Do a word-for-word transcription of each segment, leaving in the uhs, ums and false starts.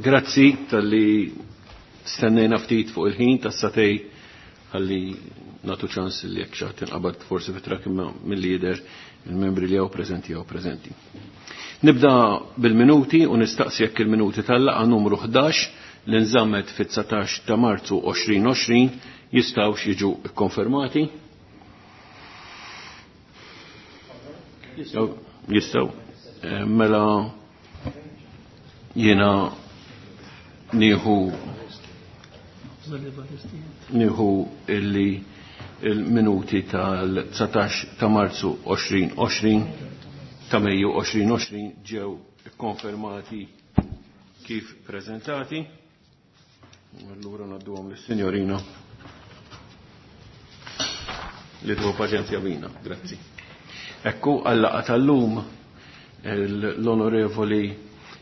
Grazzi talli stennejna ftit fuq il-ħin tas-satej ħalli natu ċans li jekk xi ħadd inqabad forsi fit-trak imma mill-lider il-membri li hawn preżenti hawn preżenti. Nibda bil-minuti u nistaqsi jekk il-minuti tal-laqgħa numru ħdax li nżammet fit-dsatax ta' Marzu għoxrin għoxrin jistgħux jiġu kkonfermati. Jistgħu. Mela jiena nieħu nieħu illi il-minuti tal-dsatax ta' Marzu għoxrin għoxrin ta' Mejju għoxrin għoxrin ġew ikkonfermati kif prezentati. Allura ngħadduhom lis-sinjorina li tieħu paċenzja bina. Grazzi. Ekku għal-laqgħa tal-lum l-Onorevoli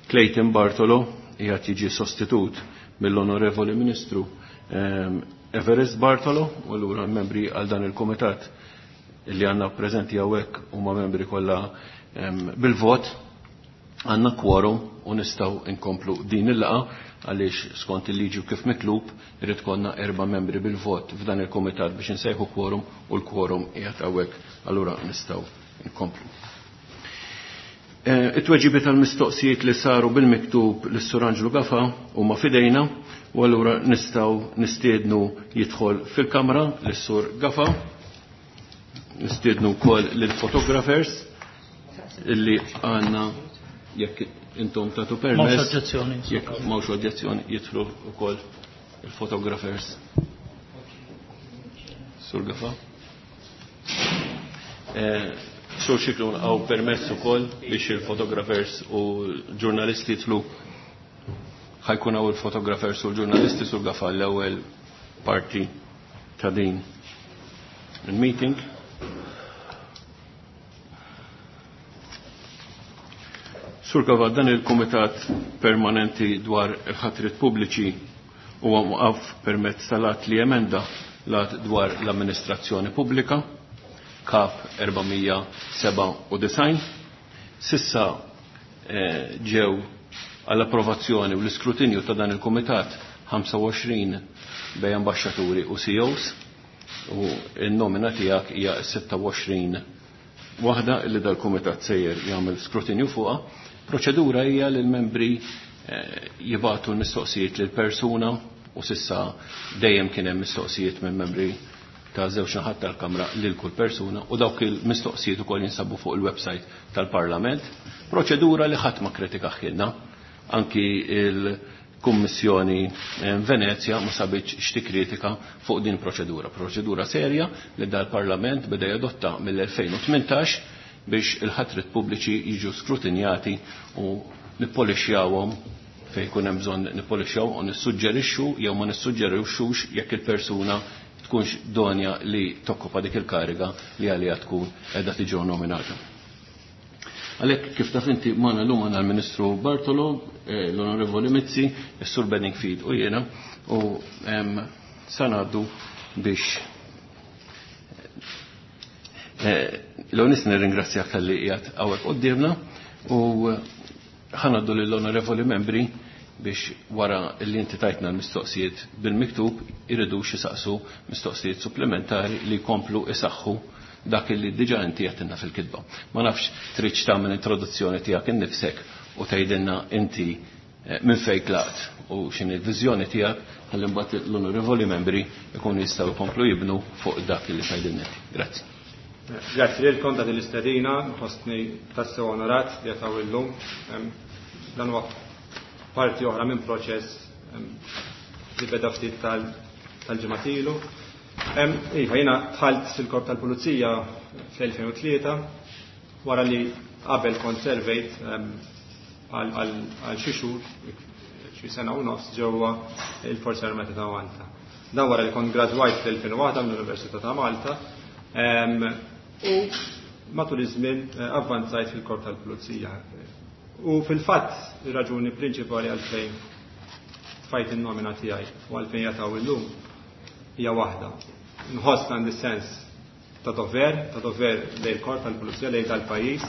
Clayton Bartolo qiegħed jiġi sostitut mill-Onorevoli Ministru Everest Bartolo, u allura membri għal dan il-komitat li għandna preżenti hawnhekk huma membri kollha bil-vot, għandna quorum u nistgħu nkomplu din il-laqgħa għaliex skont il-liġi u kif mitlub irid konna erba' membri bil-vot f'dan il-komitat biex insejħu quorum u l-quorum qiegħed hawnhekk, allura nistgħu nkomplu. It-tweġibi tal-mistoqsijiet li saru bil-miktub lis-Sur Anġlu Gafa huma fidejna u allura nistgħu nistiednu jidħol fil-kamra lis-Sur Gafa, nistiednu wkoll lill-photographers illi għandna jekk intom tagħtu permess. M'hawnx oġġezzjoni. Jekk m'hawnx oġġezzjoni jidħlu wkoll il-photographers. Sur Gafa. Sur Xiklun għaw permess ukoll biex il-photographers u l-ġurnalisti jidħlu. Ħajkun hawn il-photographers u l-ġurnalisti Sur Gafa l-ewwel parti ta' din il-meeting. Sur Gafa, dan il-Kumitat Permanenti dwar il-ħatrit pubbliċi huwa mwaqaf permezz tal-att li emenda l-att dwar l-amministrazzjoni pubblika, Kap erba' sebgħa u disgħin. Sissa ġew għall-approvazzjoni u l-iskrutinju ta' dan il-Kumitat ħamsa u għoxrin bej ambaxxaturi u C E Os u n-nomina tiegħek hija sitta u għoxrin waħda li dal-Kumitat sejjer jagħmel skrutinju fuqha. Proċedura hija li l-membri jibgħatu l-mistoqsijiet lil persuna u sissa dejjem kien hemm mistoqsijiet minn membri ta' żewġ naħat tal-Kamra lil kull persuna u dawk il-mistoqsijiet ukoll jinsabu fuq il-website tal-Parlament. Proċedura li ħadd ma kritika ħilna, anki il-Kummissjoni Venezja ma sabitx x'tikkritika fuq din proċedura. Proċedura serja li dal-Parlament beda jadotta mill-elfejn u tmintax biex il-ħatrit pubbliċi jiġu skrutinjati u nippolixjawhom fejn ikun hemm bżonn nippolixjaw u nissuġġerixxu jew ma nissuġġerixxux jekk il-persuna tkunx donja li tokkopa dik il-kariga li għalija tkun qiegħda tiġi nominata. Għalhekk kif taf inti magħna llum għandna l-Ministru Bartolo, l-Onorevoli Mizzi, is-Sur Bedingfield u jiena u sa ngħaddu biex l-għonis nirringrazzjak tal-li qiegħed hawnhekk quddiemna u ħanaddu lill-onorevoli membri biex wara li inti tajtna l-mistoqsijiet bil-miktub iridu xi saqsu mistoqsijiet supplementari li jkomplu isaħħu dak li diġà inti għedtilna fil-kitba. Ma nafx tridx tagħmel introduzzjoni tiegħek innifsek u tgħidilna inti minn fejn tlaqt u x'inhi l-viżjoni tiegħek ħalli mbagħad l-onorevoli membri jkunu jistgħu jkomplu jibnu fuq dak li tgħidilna inti. Grazzi. Grazzi lilkom ta' din l-istedina, nħossni tassew onorat li qed hawn illum. Dan huwa parti oħra minn proċess li beda ftit tal-ġimgħat ilu. Iva, jiena dħalt fil-Korp tal-Pulizija fl-elfejn u tlieta wara li qabel kont servejt għal xi xhur, xi sena u nofs ġewwa il-Forzi Armati ta' Malta. Dan wara li kont gradwajt fl-elfejn u waħda mill-Università ta' Malta u matul iż-żmien avvanzajt fil-Korp tal-Pulizija. U fil-fatt ir-raġuni prinċipali għalfejn tfajt in-nomina tiegħi u għalfejn jataw illum hija waħda. Nħoss għandi sens ta' dover, ta' dover lejn il-korp tal-Pulizija, lejn tal-pajjiż.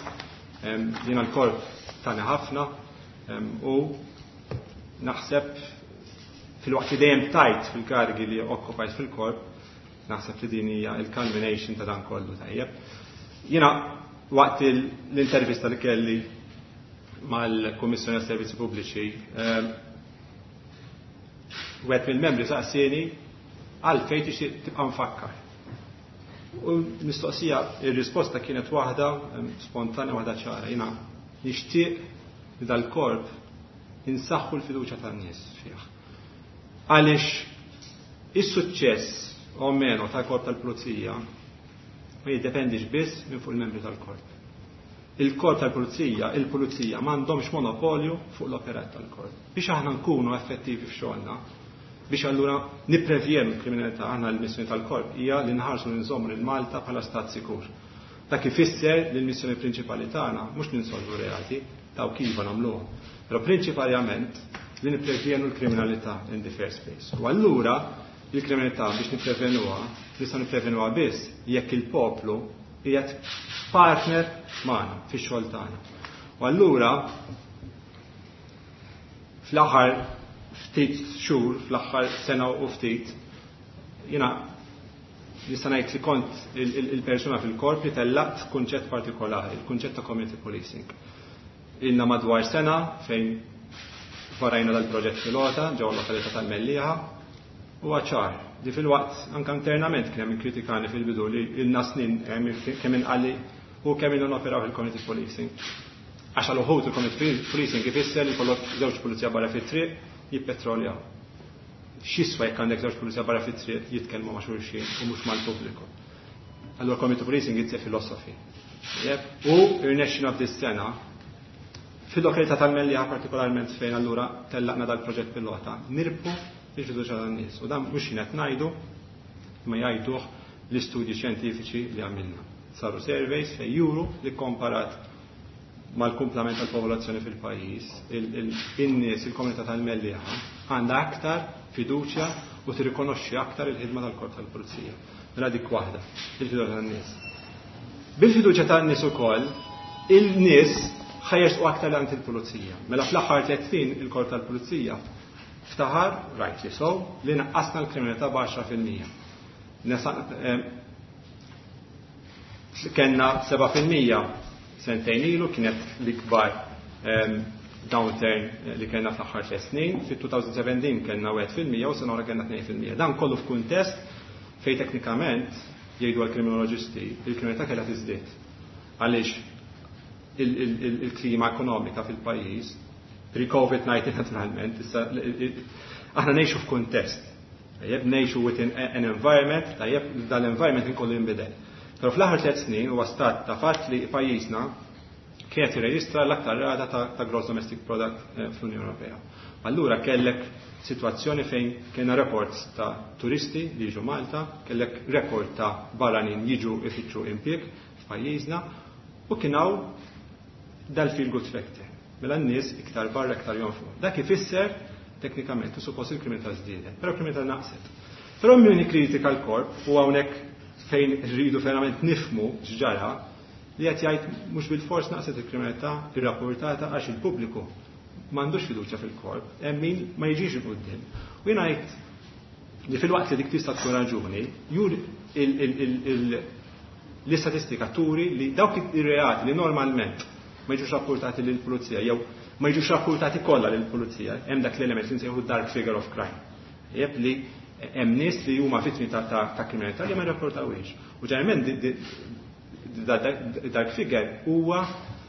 Jiena l-korp tani ħafna u Naħseb fil-waqt li dejjem tajt fil-kargi li okkupajt fil-korp, naħseb li din hija il-culmination ta' dan kollu tajjeb. Jiena waqt l-intervista li kelli mal-Kummissjoni għas-Servizzi Pubbliċi, wieħed mill-membri saqsieni għalfejn tixtieq tibqa' mfakkar. U mistoqsija, ir-risposta kienet waħda spontanja, waħda ċara. Jiena nixtieq li dal-korp insaħħu l-fiduċja tan-nies fih. Għaliex is-suċċess o meno tal-korp tal-pulizija ma jiddependix biss minn fuq il-membri tal-korp. Il-korp tal-pulizija, il-pulizija m'għandhomx monopolju fuq l-operat tal-korp. Biex aħna nkunu effettivi f'xogħolna, biex allura nipprevjenu l-kriminalità, aħna l-missjoni tal-korp hija li nħarsu nżommu lil Malta bħala stat sikur. Dak ifisser li l-missjoni prinċipali tagħna mhux li nsolvu reati, dawk iva nagħmluhom, però prinċipalment li nipprevjenu l-kriminalità in the first place. U allura il-kriminalità biex nipprevenuha, nistgħu nipprevenuha biss jekk il-poplu qiegħed partner magħna fix-xogħol tagħna. U allura fl-aħħar ftit xhur, fl-aħħar sena u ftit, jiena nista' ngħid li kont il-persuna fil-korp li tellaqt kunċett partikolari, il-kunċett ta' community policing. Ilna madwar sena fejn varajna dal-proġett pilota ġewwa l-lokalità tal-Mellieħa u ċar li fil-waqt anke internament kien hemm kritikani fil-bidu li ilna snin kemm inqalli u kemm ilna noperaw il-community policing. Għax għal uħud il-community policing ifisser li jkollok żewġ pulizija barra fit-triq jippetroljaw. X'jiswa jekk għandek żewġ pulizija barra fit-triq jitkellmu ma' xulxin u mhux mal-pubbliku. Allura community policing it's a philosophy. U irnexxina f'dis-sena fil-lokalità tal-Mellieħa partikolarment fejn allura tellaqna dal-proġett pilota, nirbħu il-fiduċja tan-nies. U dan mhux jien qed ngħidu, ma jgħiduh l-istudji xjentifiċi li għamilna. Saru surveys fejn juru li komparat mal-kumplament tal-popolazzjoni fil-pajjiż, in-nies, il-komunità tal-Mellieħa għandha aktar fiduċja u tirrikonoxxi aktar il-ħidma tal-korp tal-pulizija. Mela dik waħda, il-fiduċja tan-nies. Bil-fiduċja tan-nies ukoll, il-nies ħa jersqu aktar għand il-pulizija. Mela fl-aħħar tliet snin il-korp tal-pulizija ftaħar, rightly so, li naqqasna l-kriminalità b'għaxra fil-mija. Kenna seba' fil-mija sentejn ilu, kienet l-ikbar downturn li kellna fl-aħħar tliet snin, fit-twenty seventeen kellna wieħed fil-mija u sena oħra kellna tnejn fil-mija. Dan kollu f'kuntest fejn teknikament jgħidu għall-kriminoloġisti il-kriminalità kellha tiżdied. Għaliex il-klima ekonomika fil-pajjiż pre-COVID nineteen naturalment, issa aħna ngħixu f'kuntest. Tajjeb, ngħixu within an environment, tajjeb, dal-environment inkollu jinbidel. Però fl-aħħar tliet snin huwa stat ta' fatt li pajjiżna kienet jirreġistra l-aktar rata ta', ta gross domestic product eh, fl-Unjoni Ewropea. Allura kellek situazzjoni fejn kellna reports ta' turisti li jiġu Malta, kellek rekord ta' barranin jiġu ifittxu impjieg f'pajjiżna u kien hawn dal-feel good factor. Mela n-nies iktar barra iktar jonfqu. Dak ifisser teknikament u suppost il-kriminalità żdiedet, però l-kriminalità naqset. Però min kritika l-korp u hawnhekk fejn rridu verament nifmu x'ġara li qed jgħid mhux bil-fors naqset il-kriminalità irrapportata għax il-pubbliku m'għandux fiduċja fil-korp, hemm min ma jiġix il-quddiem. U jiena ngħid li fil-waqt li dik tista' tkun raġuni, jur l-istatistika turi li dawk ir-reati li normalment ma jiġux rapportati lill-pulizija jew ma jiġux rapportati kollha lill-pulizija, hemm dak l-element li nsejħu dark figure of crime. Jeb li hemm nies li huma vittmi ta', ta, ta' kriminalità li ma jirrapportawhiex. U ġeneralment dark figure huwa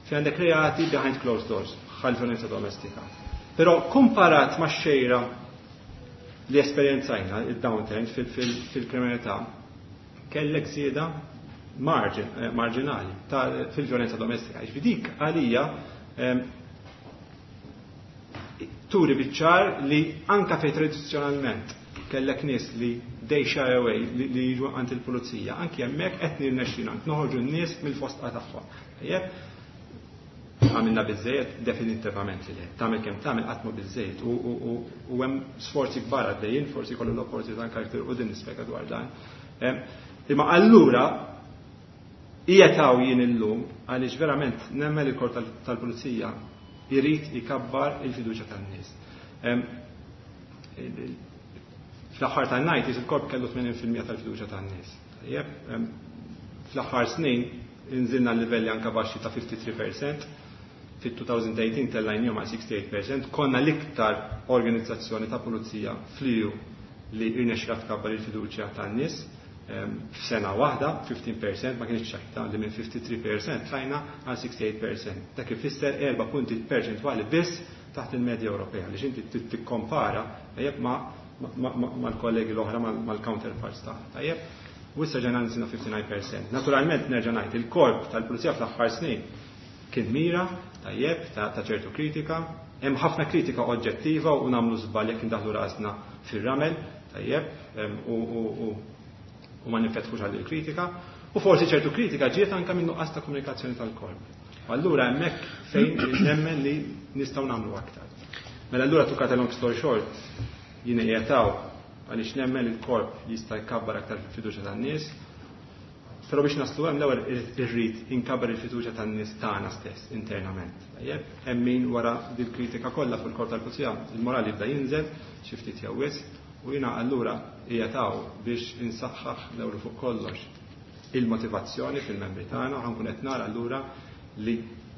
fi għandek reati behind closed doors, bħal violenza domestika. Però komparat ma' xejra li esperjenzajna il-downturn fil-kriminalità, kellek żieda margin, eh, marginali fil-violenza domestika. Ġifieri dik għalija turi biċ-ċar li anka fej tradizzjonalment kellek nies li they shy away li, li jiġu għand il-pulizija, anki hemmhekk qed nirnexxina noħorġu n-nies mill-fosqa tagħhom. Tajjeb, għamilna biżejjed definitivament li le. Tagħmel kemm tagħmel qatt mhu biżejjed u hemm sforzi kbar għaddejjin, forsi kollu l-opportunità anke aktar u din nispjega dwar dan. Imma allura qiegħed hawn jien illum għaliex verament nemmen il-korp tal-pulizija jrid ikabbar il-fiduċja tan-nies. Fl-aħħar tan-nineties il-korp kellu tmenin fil-mija tal-fiduċja tan-nies. Tajjeb, fl-aħħar snin inżilna l-livelli anka baxxi ta' fifty-three percent, fit-two thousand eighteen tellajnihom għal sixty-eight percent, konna l-iktar organizzazzjoni ta' pulizija fl-E U li irnexxielha tkabbar il-fiduċja tan-nies f'sena waħda, fifteen percent, ma kienx ċajta li minn fifty-three percent tlajna għal sixty-eight percent. Dak ifisser erba' punti perċentwali biss taħt il-medja Ewropea, li xinti tikkompara tajjeb ma', ma', ma', mal-kollegi l-oħra, mal-, mal-counterparts tagħna. Tajjeb, u issa ġejna nżilna fifty-nine percent. Naturalment nerġa' ngħid, il-korp tal-pulizija fl-aħħar snin kien mira tajjeb ta', ta' ċertu kritika, hemm ħafna kritika oġġettiva u nagħmlu żball jekk indaħlu rasna fir-ramel, tajjeb, em, u, u, u, u ma ninfetħux għal il-kritika, u forsi ċertu kritika ġiet anke minn nuqqas ta' komunikazzjoni tal-korp. U allura hemmhekk fejn nemmen li nistgħu nagħmlu aktar. Mela allura to cut a long story short, jien qiegħed hawn għaliex nemmen li l-korp jista' jkabbar aktar fil-fiduċja tan-nies, però biex naslu hemm l-ewwel irrid inkabbar il-fiduċja tan-nies tagħna stess internament. Tajjeb, hemm min wara dil-kritika kollha fuq il-korp tal-pulizija, il-morali jibda jinżel xi ftit jew wisq, u jiena allura qiegħed hawn biex insaħħaħ l-ewwel fuq kollox il-motivazzjoni fil-membri tagħna, u ħankun qed nara allura li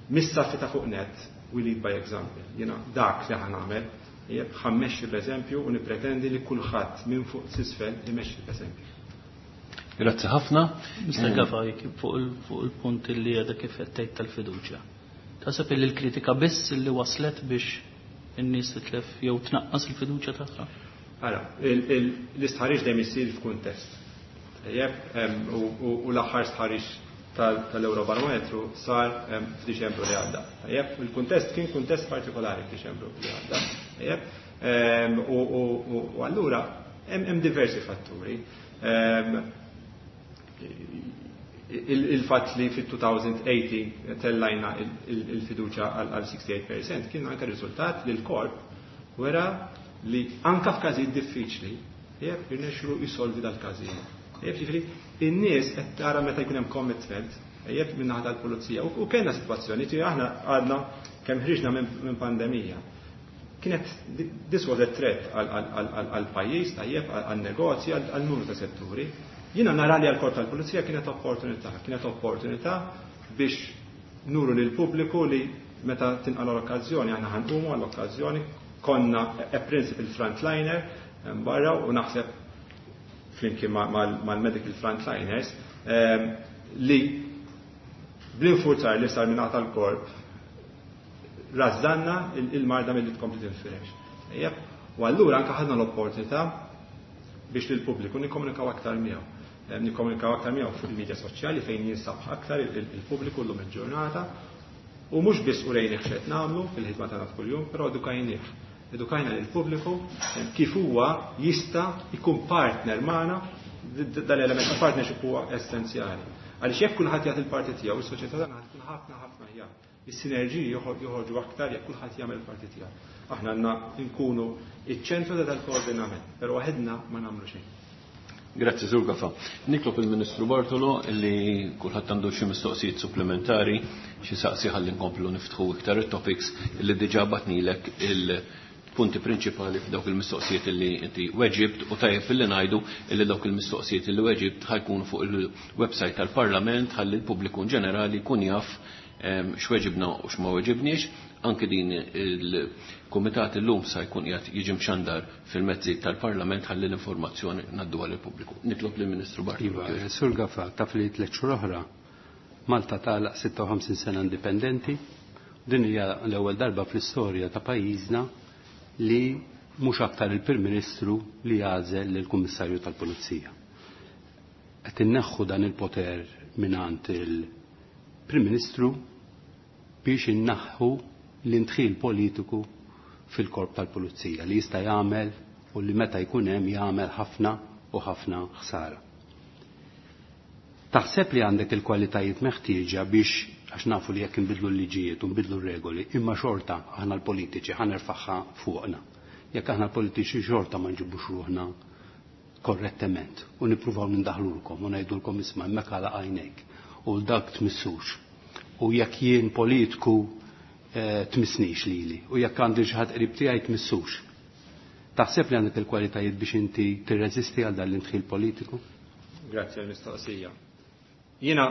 mis-saffi ta' fuq net we lead by example. Jiena dak li ħa nagħmel, tajjeb, ħammexxi b'eżempju u nippretendi li kulħadd minn fuq s'isfel imexxi b'eżempju. Grazzi ħafna. Mister Gafa, fuq il-, fuq il-punt li għadha kif qed tgħid tal-fiduċja. Taħseb li l-kritika biss li waslet biex in-nies titlef jew tnaqqas il-fiduċja tagħha? Ara, il-, il-, l-istħarriġ dejjem isir f'kuntest. Tajjeb, em, u, u, u l-aħħar stħarriġ tal-, tal-Eurobarometru sar, em, f'Diċembru li għadda. Tajjeb, il-kuntest kien kuntest partikolari f'Diċembru li għadda. Tajjeb, em, u, u, u, u allura hemm, hemm diversi fatturi. Em, il-, il-fatt li fit-two thousand eighteen tellajna il-, il-, il-fiduċja għal, għal sixty-eight percent kien anke riżultat li l-korp wera li anke f'każijiet diffiċli jekk irnexxu jsolvi dal-każijiet. Jekk ġifieri in-nies qed tara meta jkun hemm commitment jekk minn naħa tal-pulizija. U, u kellna sitwazzjoni li aħna għadna kemm ħriġna minn, minn pandemija. Kienet this was a threat għal, għal, għal, għal, għal pajjiż tajjeb, għal, għal negozji, għal, għal numru ta' setturi. Jiena nara li għal-korp tal-pulizija kienet opportunità, kienet opportunità biex nuru lil pubbliku li meta tinqala l-okkażjoni aħna ħanqumu għall-okkażjoni, konna a principal frontliner barra u naħseb flimkien ma-, ma-, mal-medical frontliners, ehm, li bl-infurzar li sar minn tal-korp rażżanna il-, il-marda milli tkompli tinfirex. Ejjeb, u allura anke ħadna l-opportunità biex lill-pubbliku nikkomunikaw aktar miegħu. Ehm, nikkomunikaw aktar miegħu fuq il-medja soċjali fejn jinsab aktar il-, il-, il-pubbliku llum il-ġurnata, u mhux biss urejnih x'qed nagħmlu fil-ħidma tagħna kuljum, però edukajnih. Edukajna lill-pubbliku kif huwa jista' jkun partner magħna, d-, d-, dal-element ta' partnership huwa essenzjali. Għaliex jekk kulħadd jagħti l-parti tiegħu, is-soċjetà tagħna tkun ħafna ħafna aħjar. Is-sinerġiji joħor-, joħorġu aktar jekk kulħadd jagħmel il-parti tiegħu. Aħna għandna nkunu iċ-ċentru ta' dal-koordinament, però waħedna ma nagħmlu xejn. Grazzi, Sur Gafa. Nitlob il-Ministru Bartolo li kulħadd għandu xi mistoqsijiet supplementari, xi saqsi ħalli nkomplu niftħu iktar it-topics li diġà batnilek il-punti prinċipali f'dawk il-mistoqsijiet li inti weġibt, u tajjeb filli ngħidu illi dawk il-mistoqsijiet li weġibt ħajkunu fuq il-website tal-Parlament ħalli l-pubbliku in ġenerali jkun jaf, em, x'weġibna u x'ma weġibniex. Anke din il-kumitat illum sa jkun qiegħed jiġi mxandar fil-mezzi tal-Parlament ħalli l-informazzjoni ngħadduha lill-pubbliku. Nitlob lill-Ministru Bartolo. Iva, Sur Gafa, taf li tliet xhur oħra Malta tagħlaq sitta u ħamsin sena indipendenti. Din hija l-ewwel darba fl-istorja ta' pajjiżna li mhux aktar il-Prim Ministru li jagħżel lill-Kummissarju tal-Pulizija. Qed inneħħu dan il-poter mingħand il-Prim Ministru biex innaħħu l-indħil politiku fil-korp tal-Pulizija li jista' jagħmel u li meta jkun hemm jagħmel ħafna u ħafna ħsara. Taħseb li għandek il-kwalitajiet meħtieġa biex, għax nafu li jekk inbidlu l-liġijiet u nbidlu r-regoli, imma xorta aħna l-politiċi ħa nerfagħha fuqna. Jekk aħna l-politiċi xorta ma nġibux ruħna korrettement u nippruvaw nindaħlulkom u ngħidulkom isma' hemmhekk għalaq għajnejk u dak tmissux. U jekk jien politiku, eh, tmissnix lili u jekk għandi xi ħadd qrib tiegħi tmissux. Taħseb li għandek il-kwalitajiet biex inti tirreżisti għal dan l-indħil politiku? Grazzi għall-mistoqsija. Jiena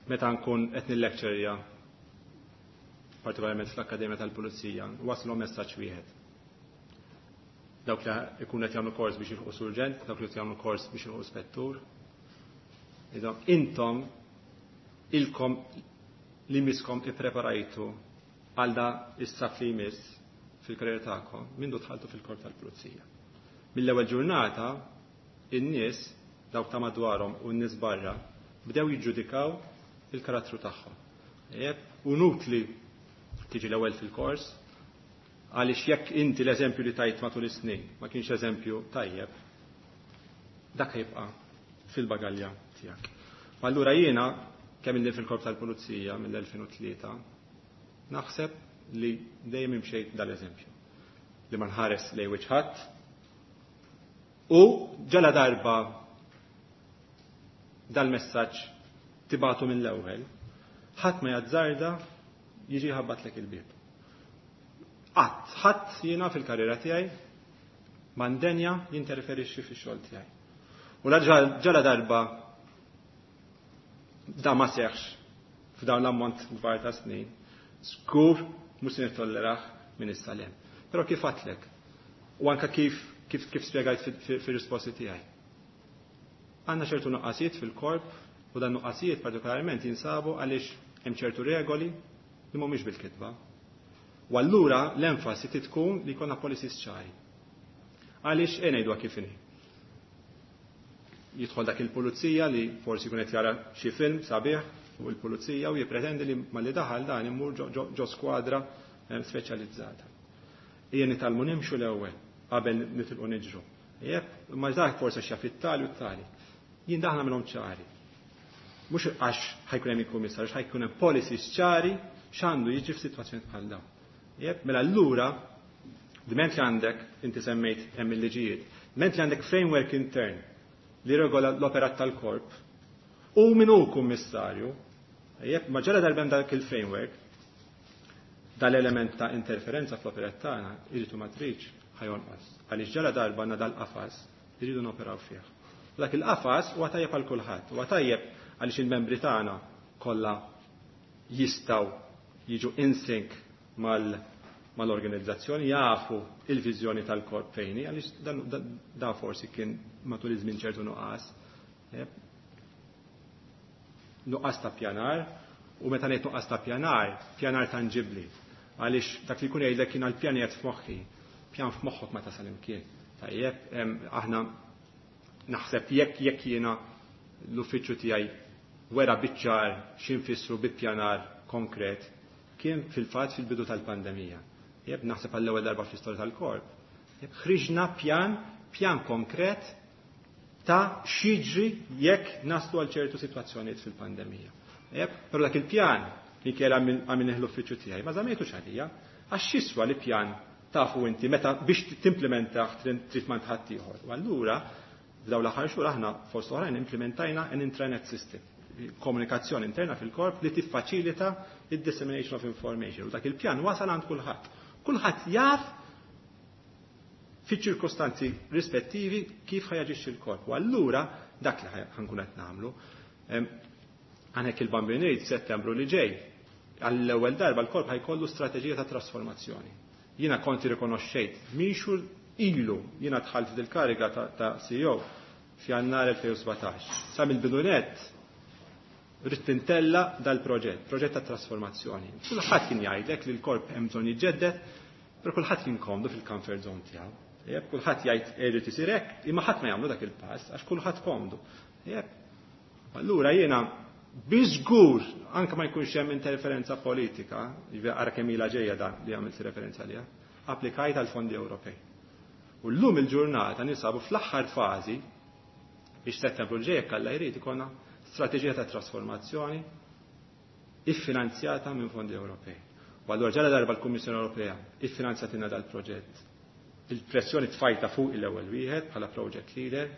meta nkun qed nillecturja partikolarment fl-Akkademja tal-Pulizija, waslu messaġġ wieħed. Dawk li ikun qed jagħmlu kors biex jilħqu surġent, dawk li qed jagħmlu kors biex jilħqu spettur. Intom ilkom li miskom ippreparajtu għal da is-saf li jmiss fil-karriera tagħkom mindu dħaltu fil-korp tal-Pulizija. Mill-ewwel ġurnata in-nies dawk ta' madwarhom u n-nies barra bdew jiġġudikaw il-karattru tagħhom. U nutli tiġi l-ewwel fil-kors għaliex jekk inti l-eżempju li tajt matul is-snin ma kienx eżempju tajjeb, dak jibqa' fil-bagalja tiegħek. Allura jiena kemm inni fil-korp tal-Pulizija mill-elfejn u tlieta, naħseb li dejjem imxejt dal-eżempju. Li ma nħares lejn wiċċ ħadd u ġala darba dal-messaġġ tibatu mill-ewwel, ħadd ma jazzarda jiġi ħabbatlek il-bieb. Qatt, ħadd jiena fil-karriera tiegħi mandenja jinterferixxi fix-xogħol tiegħi. U la ġala darba da ma seħx f'dawn l-ammont kbar ta' snin, żgur mhux se nittolleraħ minn issa l hemm. Però kif għadtlek? U anka kif kif kif spjegajt fir-risposti tiegħi. Għandna ċertu nuqqasijiet fil-korp u dan nuqqasijiet partikolarment jinsabu għaliex hemm ċertu regoli li mhumiex bil-kitba. U allura l-enfasi tkun li jkollna policies ċari. Għaliex e ngħiduha kif inhi. Jidħol dak il-pulizija li forsi jkun qed jara xi film sabiħ fuq il-pulizija u jippretendi li malli daħal dan imur ġo skwadra speċjalizzata. Ejja nitgħallmu nimxu l-ewwel qabel nitilqu niġru. Jekk ma dak forsi xi fit-tali u t-tali. Jien daħna minnhom ċari. Mhux għax ħajkun hemm il-kummissarju, ħajkun hemm policies ċari x'għandu jiġri f'sitwazzjoni bħal dawn. Jekk mela allura dment li għandek inti semmejt hemm il-liġijiet, dment li għandek framework intern li regola l-operat tal-korp u min hu kummissarju, jekk ma ġara darba dak il-framework, dal-element ta' interferenza fl-operat tagħna irridu ma tridx ħajonqos. Għaliex ġara darba għandna dal-qafas irridu noperaw fih. Dak il-qafas huwa tajjeb għal kulħadd, huwa tajjeb għaliex il-membri tagħna kollha jistgħu jiġu in sync mal mal-organizzazzjoni, jafu il-viżjoni tal-korp fejn hi, għaliex dan, dan, da forsi kien matul iż-żmien ċertu nuqqas. Nuqqas ta' pjanar, u meta ngħid nuqqas ta' pjanar, pjanar tanġibbli. Għaliex dak li jkun jgħidlek kien għall-pjanijiet f'moħħi, pjan f'moħħok ma tasal imkien. Tajjeb, aħna naħseb jekk jekk jiena l-uffiċċju tiegħi wera biċ-ċar x'infissru bi pjanar konkret, kien fil-fatt fil-bidu tal-pandemija. Jeb, naħseb għall-ewwel darba fl-istorja tal-korp. Jeb, ħriġna pjan, pjan konkret ta' x'jiġri jekk naslu għal ċertu sitwazzjonijiet fil-pandemija. Jeb, però dak il-pjan li kien għamil l-uffiċċju tiegħi, ma żammejtux għalija, għax x'jiswa li pjan tafu inti meta biex timplementah trid ma ħadd ieħor. U allura f'dawn l-aħħar xhur aħna fost oħrajn implementajna an intranet system, komunikazzjoni interna fil-korp li tiffaċilita id-dissemination of information. U dak il-pjan wasal għand kulħadd. Kulħadd jaf fiċ-ċirkostanzi rispettivi kif ħajaġixxi l-korp. U allura dak li ħankun qed nagħmlu. Għanek il-Bambin ngħid Settembru li ġej, għall-ewwel darba l-korp ħajkollu strateġija ta' trasformazzjoni. Jiena konti rikonoxxejt minn xhur ilu jiena dħalt fil-kariga ta', ta C E O f'Jannar elfejn u sbatax. Sa mill-bidunet rrid tintella dal-proġett, proġett ta' trasformazzjoni. Kulħadd kien jgħidlek li l-korp hemm bżonn jiġġedded, però kulħadd kien komdu fil-comfort zone tiegħu. Jeb, kulħadd jgħid irid isir hekk, imma ħadd ma jagħmlu dak il-pass għax kulħadd komdu. Jeb. Allura jiena biżgur anke ma jkunx hemm interferenza politika, jiġifieri ara kemm ilha ġejja dan li għamilt referenza għaliha, applikajt għal fondi Ewropej. U llum il-ġurnata nisabu fl-aħħar fażi biex Settembru ġej jekk Alla jrid ikollna strateġija ta' trasformazzjoni iffinanzjata minn fondi Ewropej. U allura ġara darba l-Kummissjoni Ewropea iffinanzjatina dal-proġett. Il-pressjoni tfajta fuq il-ewwel wieħed bħala project leader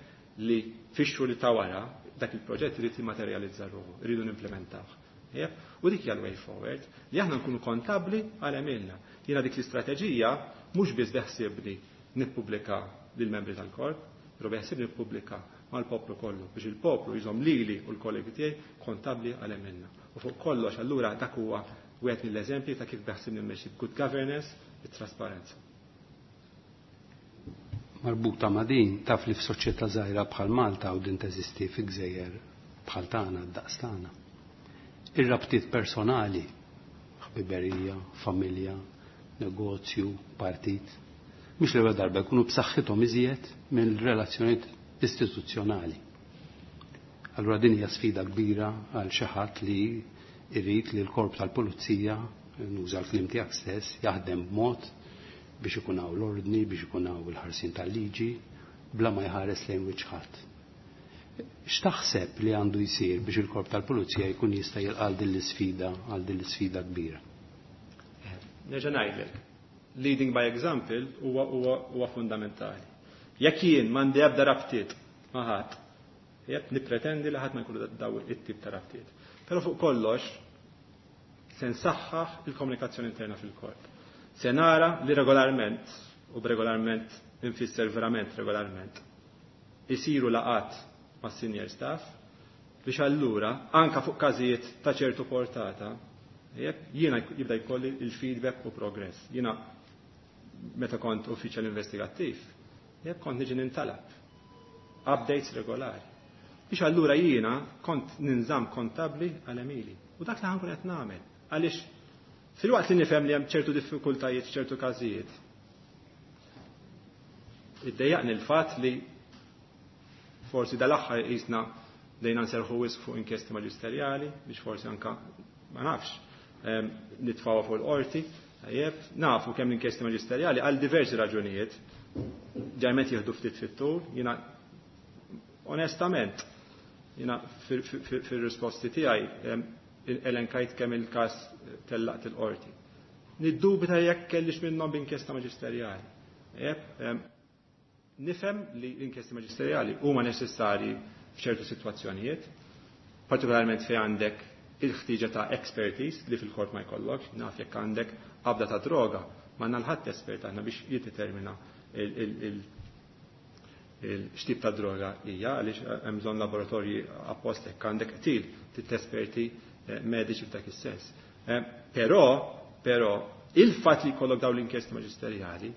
li fix-xhur li ta' wara dak il-proġett irid jimmaterjalizza ruħu, irridu nimplementawh. Jep? U dik hija l-way forward li aħna nkunu kontabbli għal għemilna. Jiena dik l-istrateġija Mhux biss beħsiebni nippubblika lill-membri tal-korp, però beħsiebni nippubblika mal-poplu kollu biex il-poplu jżomm lili u l-kollegi tiegħi kontabbli għal għemilna. U fuq kollox allura dak huwa wieħed mill-eżempji ta' kif beħsiebni mmexxi good governance, bit-trasparenza. Marbuta ma' din, taf li f'soċjetà żgħira bħal Malta u din teżisti fi gżejjer bħal tagħna, d-daqs tagħna. Ir-rabtiet personali, ħbiberija, familja, negozju, partit, mhux l-ewwel darba jkunu b'saħħithom iżjed minn relazzjonijiet istituzzjonali. Allura din hija sfida kbira għal xi ħadd li jrid li l-korp tal-pulizija, nuża l-kliem tiegħek stess, jaħdem b'mod biex ikun hawn l-ordni, biex ikun hawn il-ħarsien tal-liġi, bla ma jħares lejn wiċċ ħadd. X'taħseb li għandu jsir biex il-korp tal-pulizija jkun jista' jilqa' din l-isfida, għal din l-isfida kbira? Nerġa' ngħidlek, leading by example huwa huwa huwa fundamentali. Jekk jien m'għandi ebda rabtiet ma' ħadd, jekk nippretendi li ħadd ma jkollu daw it-tip ta' rabtiet. Però fuq kollox se nsaħħaħ il-komunikazzjoni interna fil-korp. Se nara li regolarment, u b'regolarment infisser verament regolarment, isiru laqat ma' senior staff biex allura anka fuq każijiet ta' ċertu portata jekk jiena jibda jkolli il-feedback u progress. Jiena meta kont uffiċjal investigattiv, jekk kont niġi nintalab updates regolari. Biex allura jiena kont ninżamm kontabli għal għemili. U dak li ħa nkun qed nagħmel. Għaliex filwaqt li nifhem li hemm ċertu diffikultajiet f'ċertu każijiet, iddejjaqni l-fatt li forsi dal-aħħar qisna bdejna nserħu wisq fuq inkjesti maġisterjali biex forsi anka ma nafx nitfgħuha fuq il-qorti. Tajjeb, nafu kemm l-inkjesti maġisterjali għal diversi raġunijiet ġajment jieħdu ftit fit-tul. Jiena onestament jiena fir-risposti tiegħi elenkajt kemm il-każ tellaqt il-qorti. Niddubita jekk kellix minnhom b'inkjesta maġisterjali. Tajjeb, nifhem li l-inkjesti maġisterjali huma neċessarji f'ċertu sitwazzjonijiet, partikolarment fejn għandek il-ħtieġa ta' expertise li fil-korp ma jkollokx, naf jekk għandek qabda ta' droga, ma nalħadd espert aħna biex jiddetermina il-xtip ta' droga hija, għaliex hemm bżonn laboratorji apposta jekk għandek qtil trid esperti mediċi f'dak is-sens. Però, però, il-fatt li jkollok dawn l-inkjesti maġisterjali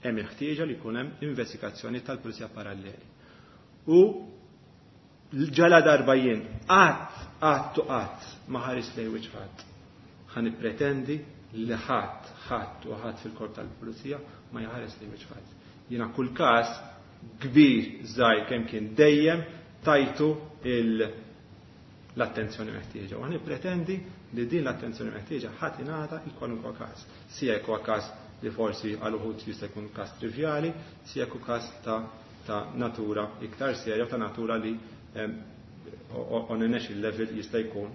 hemm il-ħtieġa li jkun hemm investigazzjoni tal-pulizija paralleli. U ġala darba jien qatt, qatt u qatt ma ħares lejn wiċċ ħadd. Ħa nippretendi li ħadd, ħadd u ħadd fil-korp tal-pulizija ma jħares lejn wiċċ ħadd. Jiena kull każ kbir żgħir kemm kien dejjem tajtu l-attenzjoni meħtieġa. U ħa nippretendi li din l-attenzjoni meħtieġa ħadd ingħata il kwalunkwe każ. Sija jekk huwa każ li forsi għal uħud jista' jkun każ trivjali, sija jekk hu każ ta', ta' natura iktar serja, ta' natura li on a national level jista' jkun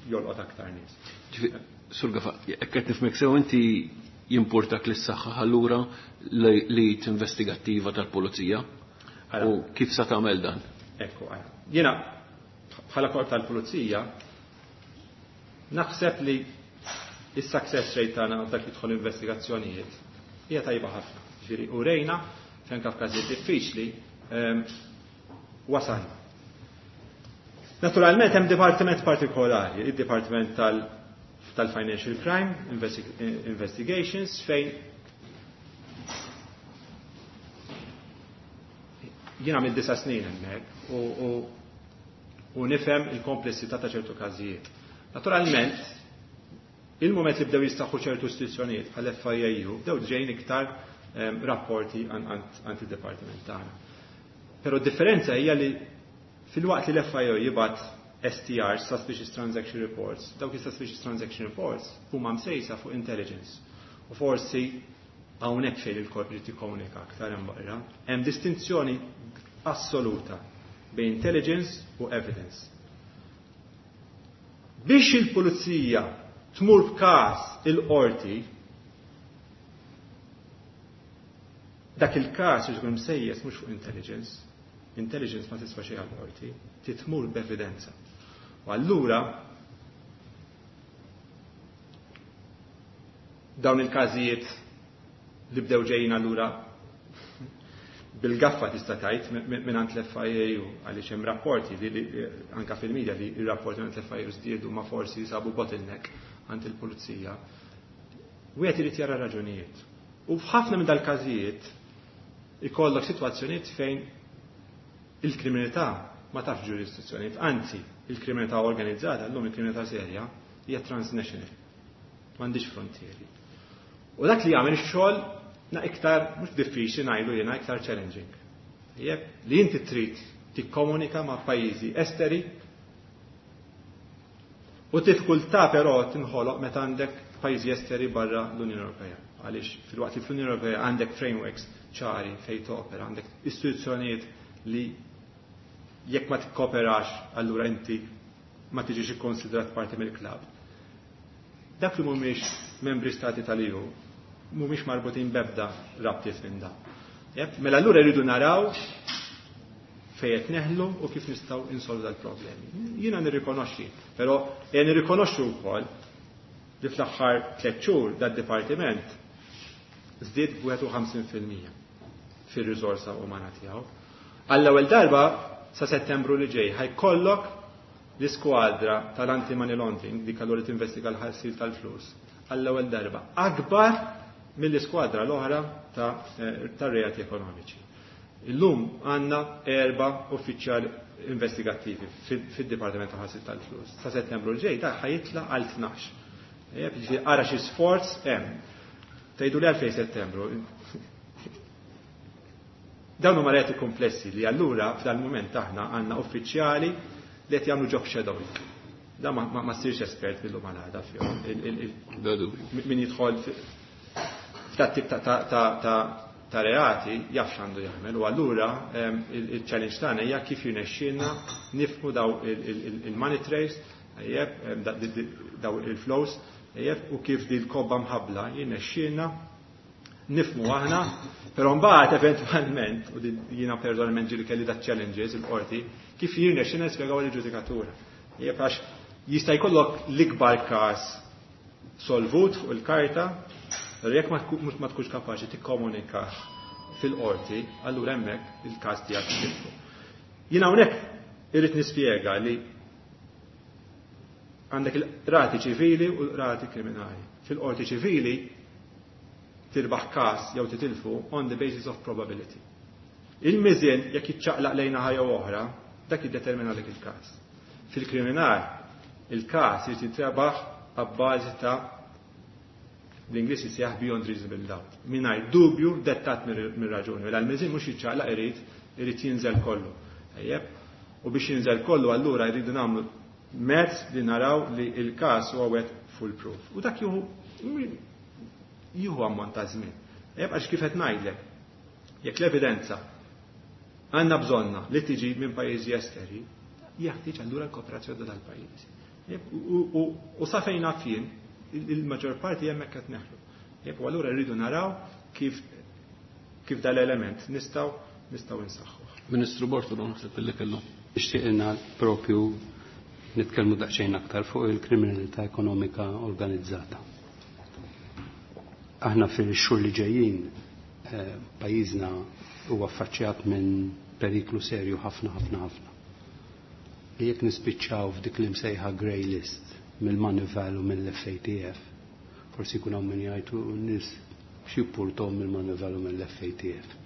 jolqot aktar nies. Sur Gafa, jekk qed nifhmek sew inti jimportak li s-saħħa allura li investigattiva tal-pulizija u kif sa tagħmel dan? Ekku, jiena bħala korp tal-pulizija naħseb li is-success rate tagħna dak li jidħol investigazzjonijiet hija tajba ħafna. Ġifieri u rejna fejn f'każijiet diffiċli wasalna. Naturalment hemm dipartiment partikolari, id-dipartiment tal-Financial Crime Investigations, fejn jiena mill disa' snin hemmhekk u, u, u nifhem il-komplessità ta' ċertu każijiet. Naturalment, il-moment li bdew jistaħħu ċertu istituzzjonijiet bħal F I A U, bdew ġejjin iktar rapporti għand id-dipartiment tagħna. Però d-differenza hija li fil-waqt li l-F I A U jibgħat S T R, Suspicious Transaction Reports, dawk is-Suspicious Transaction Reports huma msejsa fuq intelligence. U forsi hawnhekk fejn il-korp irid jikkomunika aktar hemm barra, hemm distinzjoni assoluta bejn intelligence u evidence. Biex il-pulizija tmur b'każ il-qorti, dak il-każ ikun msejjes mhux fuq intelligence. Intelligence ma tiswa xejn għall-qorti, titmur b'evidenza. U allura Dawn il-każijiet li bdew ġejjin allura bil-gaffa tista' tgħid mingħand l-F I A U, għaliex hemm rapporti li anka fil-medja li r-rapporti mingħand l-F I A U żdiedu, ma forsi sabu bottleneck għand il-pulizija. Wieħed irid jara raġunijiet. U f'ħafna minn dal-każijiet ikollok sitwazzjonijiet fejn il-kriminalità ma tafx ġurisdizzjonijiet, anzi il-kriminalità organizzata, llum il-kriminalità serja, hija transnational. M'għandix frontieri. U dak li jagħmel ix-xogħol na iktar, mhux diffiċli ngħidu jiena, iktar challenging. Jeb, li inti trid tikkomunika ma' pajjiżi esteri u diffikultà però tinħoloq meta għandek pajjiżi esteri barra l-Unjoni Ewropea. Għaliex filwaqt li fl-Unjoni Ewropea għandek frameworks ċari fejn topera, għandek istituzzjonijiet li jekk ma tikkoperax allura inti ma tiġix ikkonsidrat parti mill-klabb. Dak li mhumiex membri stati tal-E U mhumiex marbutin bebda rabtiet minn da. Mela allura rridu naraw fejn qed neħlu u kif nistgħu insolvu dal-problemi. Jiena nirrikonoxxi, però jien nirrikonoxxu wkoll li fl-aħħar tliet xhur dad-dipartiment żdied b'wieħed u ħamsin fil-mija fir-riżorsa umana tiegħu. Għall-ewwel darba sa Settembru li ġej ħa jkollok l-iskwadra tal-anti-money laundering, dik allura tinvestiga l-ħasil tal-flus, għall-ewwel darba akbar mill-iskwadra l-oħra ta' eh, reati ekonomiċi. Illum għandna erba uffiċjali investigattivi fid-Dipartiment ta' ħasil tal-flus. Sa Settembru l-ġej ta' ħa jitla' għal tnax. Ara xi sforz hemm. Tgħidu li għalfejn Settembru? Dawn huma reati komplessi li allura f'dal-mument aħna għandna uffiċjali li qed jagħmlu job shadowing. Da ma, ma, ma ssirx espert bil-lum għal għada fihom. Min jidħol f'dat tip ta' ta' ta' ta' reati jaf x'għandu jagħmel u allura il-challenge tagħna hija kif jirnexxielna nifhmu daw il-money trails, daw il-flows, u kif di l-kobba mħabla jirnexxielna nifhmu aħna, però mbagħad eventwalment, u jiena personalment ġieli kelli da challenges il-qorti, kif jirnexxielna nispjegaw il-ġudikatura. Għax jista' jkollok l-ikbar każ solvut fuq il-karta, però jekk ma tkunx kapaċi tikkomunika fil-qorti, allura hemmhekk il-każ tiegħek tilfu. Jiena hawnhekk irrid nispjega li għandek il-rati ċivili u l-rati kriminali. Fil-qorti ċivili tirbaħ każ jew titilfu on the basis of probability. Il-miżien jekk jiċċaqlaq lejn naħa jew oħra, dak jiddetermina dik il-każ. Fil-kriminal, il-każ jrid jitrebaħ abbażi ta' l-Ingliż jisejjaħ beyond reasonable doubt. Mingħajr dubju dettat mir-raġuni. Mela l-miżien mhux jiċċaqlaq, irid irid jinżel kollu. Ejjeb? U biex jinżel kollu allura jridu nagħmlu mezz li naraw li il-każ huwa wieħed foolproof. U dak jieħu jieħu ammont ta' żmien. Ejjeb, għax kif qed ngħidlek, jekk l-evidenza għandna bżonna li tiġi minn pajjiżi esteri, jeħtieġ allura l-kooperazzjoni dal-pajjiżi. U sa fejn naf jien, il-maġġor parti hemmhekk qed neħlu. U allura rridu naraw kif kif dal-element nistgħu nistgħu insaħħu. Ministru Bortolo, naħseb illi kellu. Nixtieq propju nitkellmu daqsxejn aktar fuq il-kriminalità ekonomika organizzata. Aħna fil-xhur li ġejjin eh, pajjiżna huwa affaċċjat minn periklu serju ħafna ħafna ħafna. Li jekk nispiċċaw f'dik li msejħa grey list mill-Moneyval u mill-F A T F, forsi jkun hawn min jgħidu n-nies x'jippurtom mill-Moneyval u mill-F A T F.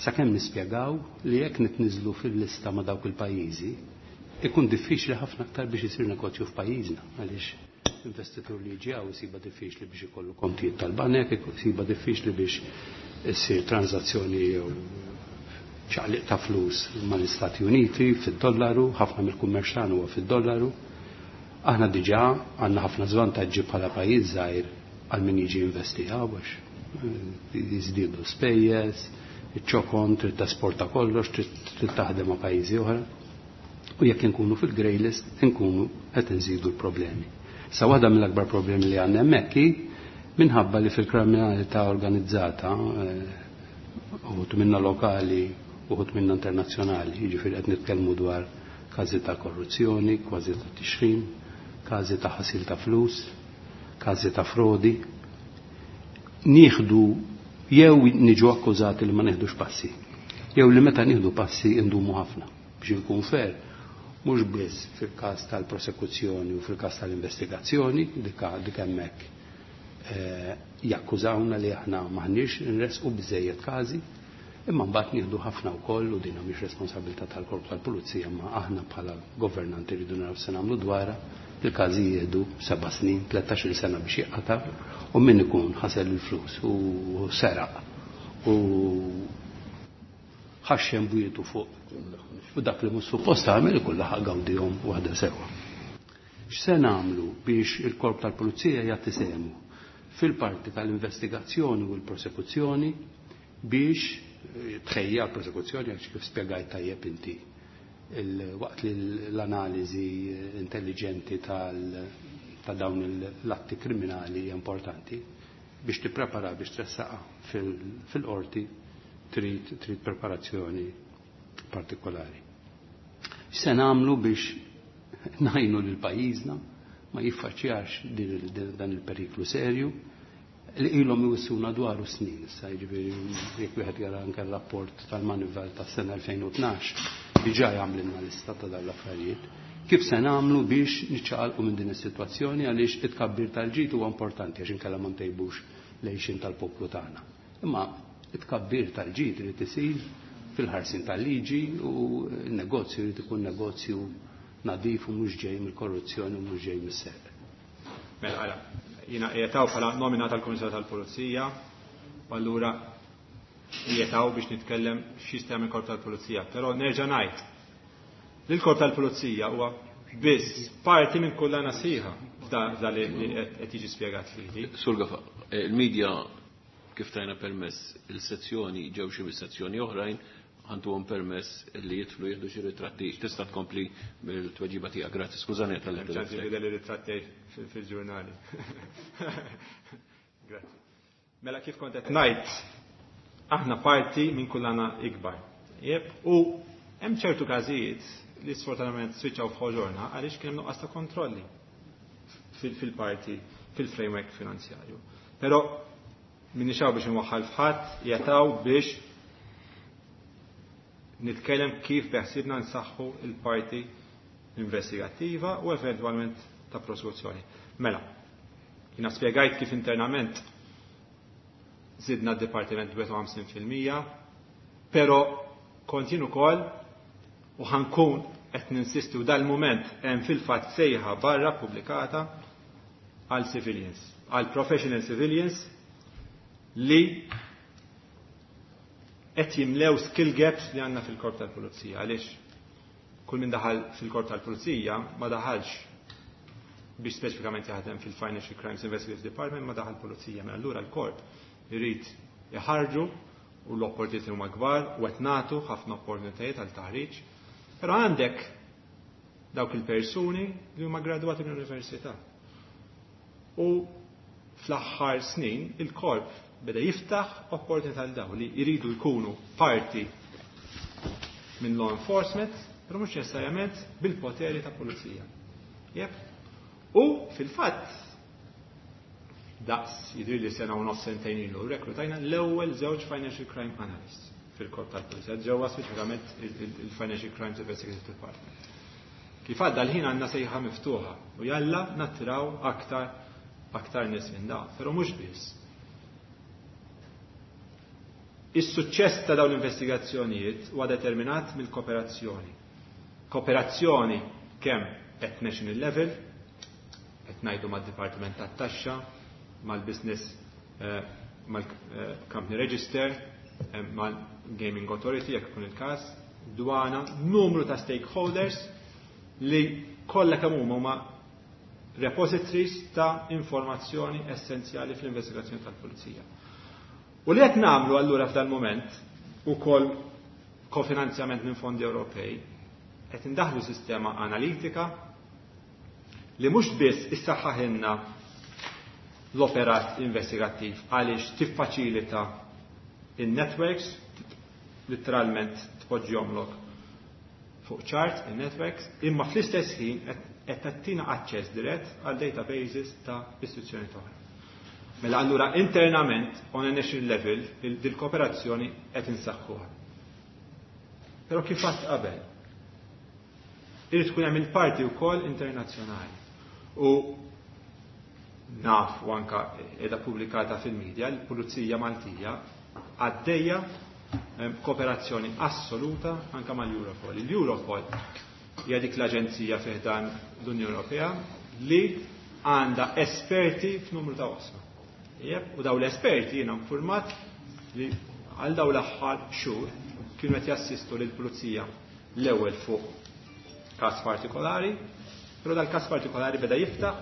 Sakemm nispjegaw li jekk nitniżlu fil-lista ma' dawk il-pajjiżi, ikun diffiċli ħafna aktar biex isir negozju f'pajjiżna, għaliex investitur li jiġi hawn isiba diffiċli biex ikollu kontijiet tal-banek, isiba diffiċli biex issir transazzjoni jew ċaqliq ta' flus mal-Istati Uniti fid-dollaru, ħafna mill-kummerċ tagħna huwa fid-dollaru. Aħna diġà għandna ħafna żvantaġġi bħala pajjiż żgħir għal min jiġi investi għax jiżdiedu spejjeż, iċ-ċokon, trid tesporta kollox, trid taħdem ma' pajjiżi oħra. U jekk inkunu fil-grey list, inkunu qed inżidu l-problemi. Sa waħda mill-akbar problemi li għandna hemmhekk hi minħabba li fil-kriminalità organizzata, uħud minna lokali, uħud minna internazzjonali, jiġifieri qed nitkellmu dwar każi ta' korruzzjoni, każi ta' tixħim, każi ta' ħasil ta' flus, każi ta' frodi. nieħdu jew niġu akkużati li ma nieħdux passi, jew li meta nieħdu passi indumu ħafna biex inkun fair, mhux biss fil-każ tal-prosekuzzjoni u fil-każ tal-investigazzjoni, dik dik hemmhekk eh, jakkużawna li aħna maħniex nresqu biżejjed każi, imma mbagħad nieħdu ħafna wkoll u din mhix responsabilità tal-Korp tal-Pulizija, ma aħna bħala governanti rridu naraw se nagħmlu dwarha. Il-każi jieħdu seba' snin, tlettax-il sena biex jinqata', u min ikun ħasel il-flus u seraq u ħaxxem bwietu fuq u dak li mhux suppost tagħmel ikun laħaq gawdihom waħda sewwa. X'se nagħmlu biex il-Korp tal-Pulizija jagħti sehmu fil-parti tal-investigazzjoni u l-prosekuzzjoni biex tħejja l-prosekuzzjoni, għax kif spjegajt tajjeb inti, waqt li l-analiżi intelligenti ta' dawn l-atti kriminali hija importanti, biex tipprepara biex tressaqa fil-qorti trid trid preparazzjoni partikolari. X'se nagħmlu biex ngħinu lil pajjiżna ma jiffaċċjax dan il-periklu serju li ilhom iwissuna dwaru snin issa, jiġifieri jekk wieħed jara anke r-rapport tal-Manival tas-sena elfejn u tnax diġà jagħmlilna lista ta' dawn l-affarijiet. Kif se nagħmlu biex niċċaqalqu minn din is-sitwazzjoni, għaliex it-tkabbir tal-ġid huwa importanti għax inkella ma ntejbux l-għixien tal-poplu tagħna. Imma it-tkabbir tal-ġid irid isir fil-ħarsin tal-liġi u n-negozju jrid ikun negozju nadif u mhux ġej mill-korruzzjoni u mhux ġej mis-serq. Mela, ara, jiena qiegħed hawn bħala nomina tal-Kummissarju tal-Pulizija, u allura qiegħed hawn biex nitkellem x'jista' jagħmel il-Korp tal-Pulizija, però nerġa' ngħid li l-Korp tal-Pulizija huwa biss parti minn kullana sħiħa f'da li qed jiġi spjegat lili. Sur Gafa, il-medja kif tajna permess il-sezzjoni ġew xi sezzjoni oħrajn għanduhom permess li jidħlu jieħdu xi ritratti. Tista' tkompli bil-tweġiba tiegħek. Grazzi, skużani tal-li Hemm ċans jidher ritratti fil-ġurnali. Grazzi. Mela kif kont qed ngħid, aħna parti minn kullana ikbar. Jep, u hemm ċertu każijiet li sfortunatament switchaw f'ħoġorna għaliex kien hemm nuqqas ta' kontrolli fil-parti, fil-framework finanzjarju. Però min nixaw biex nwaħħal f'ħadd, jataw biex nitkellem kif beħsibna nsaħħu il-parti investigattiva u eventwalment ta' prosekuzzjoni. Mela, jiena spjegajt kif internament zidna d-dipartiment wieħed u ħamsin fil-mija, però kont jien ukoll u ħankun qed ninsisti u dal-mument hemm fil-fatt sejħa barra pubblikata għal civilians, għal professional civilians li qed jimlew skill gaps li għandna fil-korp tal-pulizija. Għaliex kull min daħal fil-korp tal-pulizija ma daħalx biex speċifikament jaħdem fil-Financial Crimes Investigative Department, ma daħal pulizija. Mela allura l-korp irid iħarġu u l-opportunitajiet huma kbar u qed nagħtu ħafna opportunitajiet għal taħriġ. Però għandek dawk il-persuni li huma gradwati mill-università. U fl-aħħar snin il-korp beda jiftaħ opportunità għal dawn li jridu jkunu parti minn law enforcement, però mhux neċessarjament bil-poteri ta' pulizija. Jep. U fil-fatt daqs jidhir li sena u nofs sentejn ilu reklutajna l-ewwel żewġ financial crime analysts fil-korp tal-pulizija, ġewwa speċifikament il-Financial Crimes Investigative Department. Kif għadda l-ħin għandna sejħa miftuħa u jalla nattiraw aktar, aktar nies minn dawn, però mhux biss. Is-suċċess ta' dawn l-investigazzjonijiet huwa determinat mill-kooperazzjoni. Kooperazzjoni kemm at national level, qed ngħidu mad-Dipartiment tat-Taxxa, mal-Business, eh, mal-Company Register, eh, mal-Gaming Authority, jekk ikun il-każ, dwana, numru ta' stakeholders li kollha kemm huma huma repositories ta' informazzjoni essenzjali fl-investigazzjoni tal-pulizija. U li qed nagħmlu allura f'dan moment ukoll kofinanzjament minn fondi Ewropej, qed indaħlu sistema analitika li mhux biss issaħħaħilna l-operat investigattiv għaliex tiffaċilita in-networks, literalment tpoġġihomlok fuq ċart in-networks, imma fl-istess ħin qed tagħtina aċċess dirett għal databases ta' istituzzjoni oħra. Mela allura internament on a national level dil-kooperazzjoni qed insaħħuha. Però kif għadt qabel, irid tkun hemm il-parti wkoll internazzjonali. U naf u anka qiegħda pubblikata fil-medja, l-Pulizija Maltija għaddejja kooperazzjoni assoluta anka mal-Europol. Il-Europol hija dik l-aġenzija fi ħdan l-Unjoni Ewropea li għandha esperti f'numru ta' oqsma. U daw l-esperti jiena informat li għal daw l-aħħar xhur kienu qed jassistu lill-pulizija l-ewwel fuq każ partikolari, però dal-każ partikolari beda jiftaħ,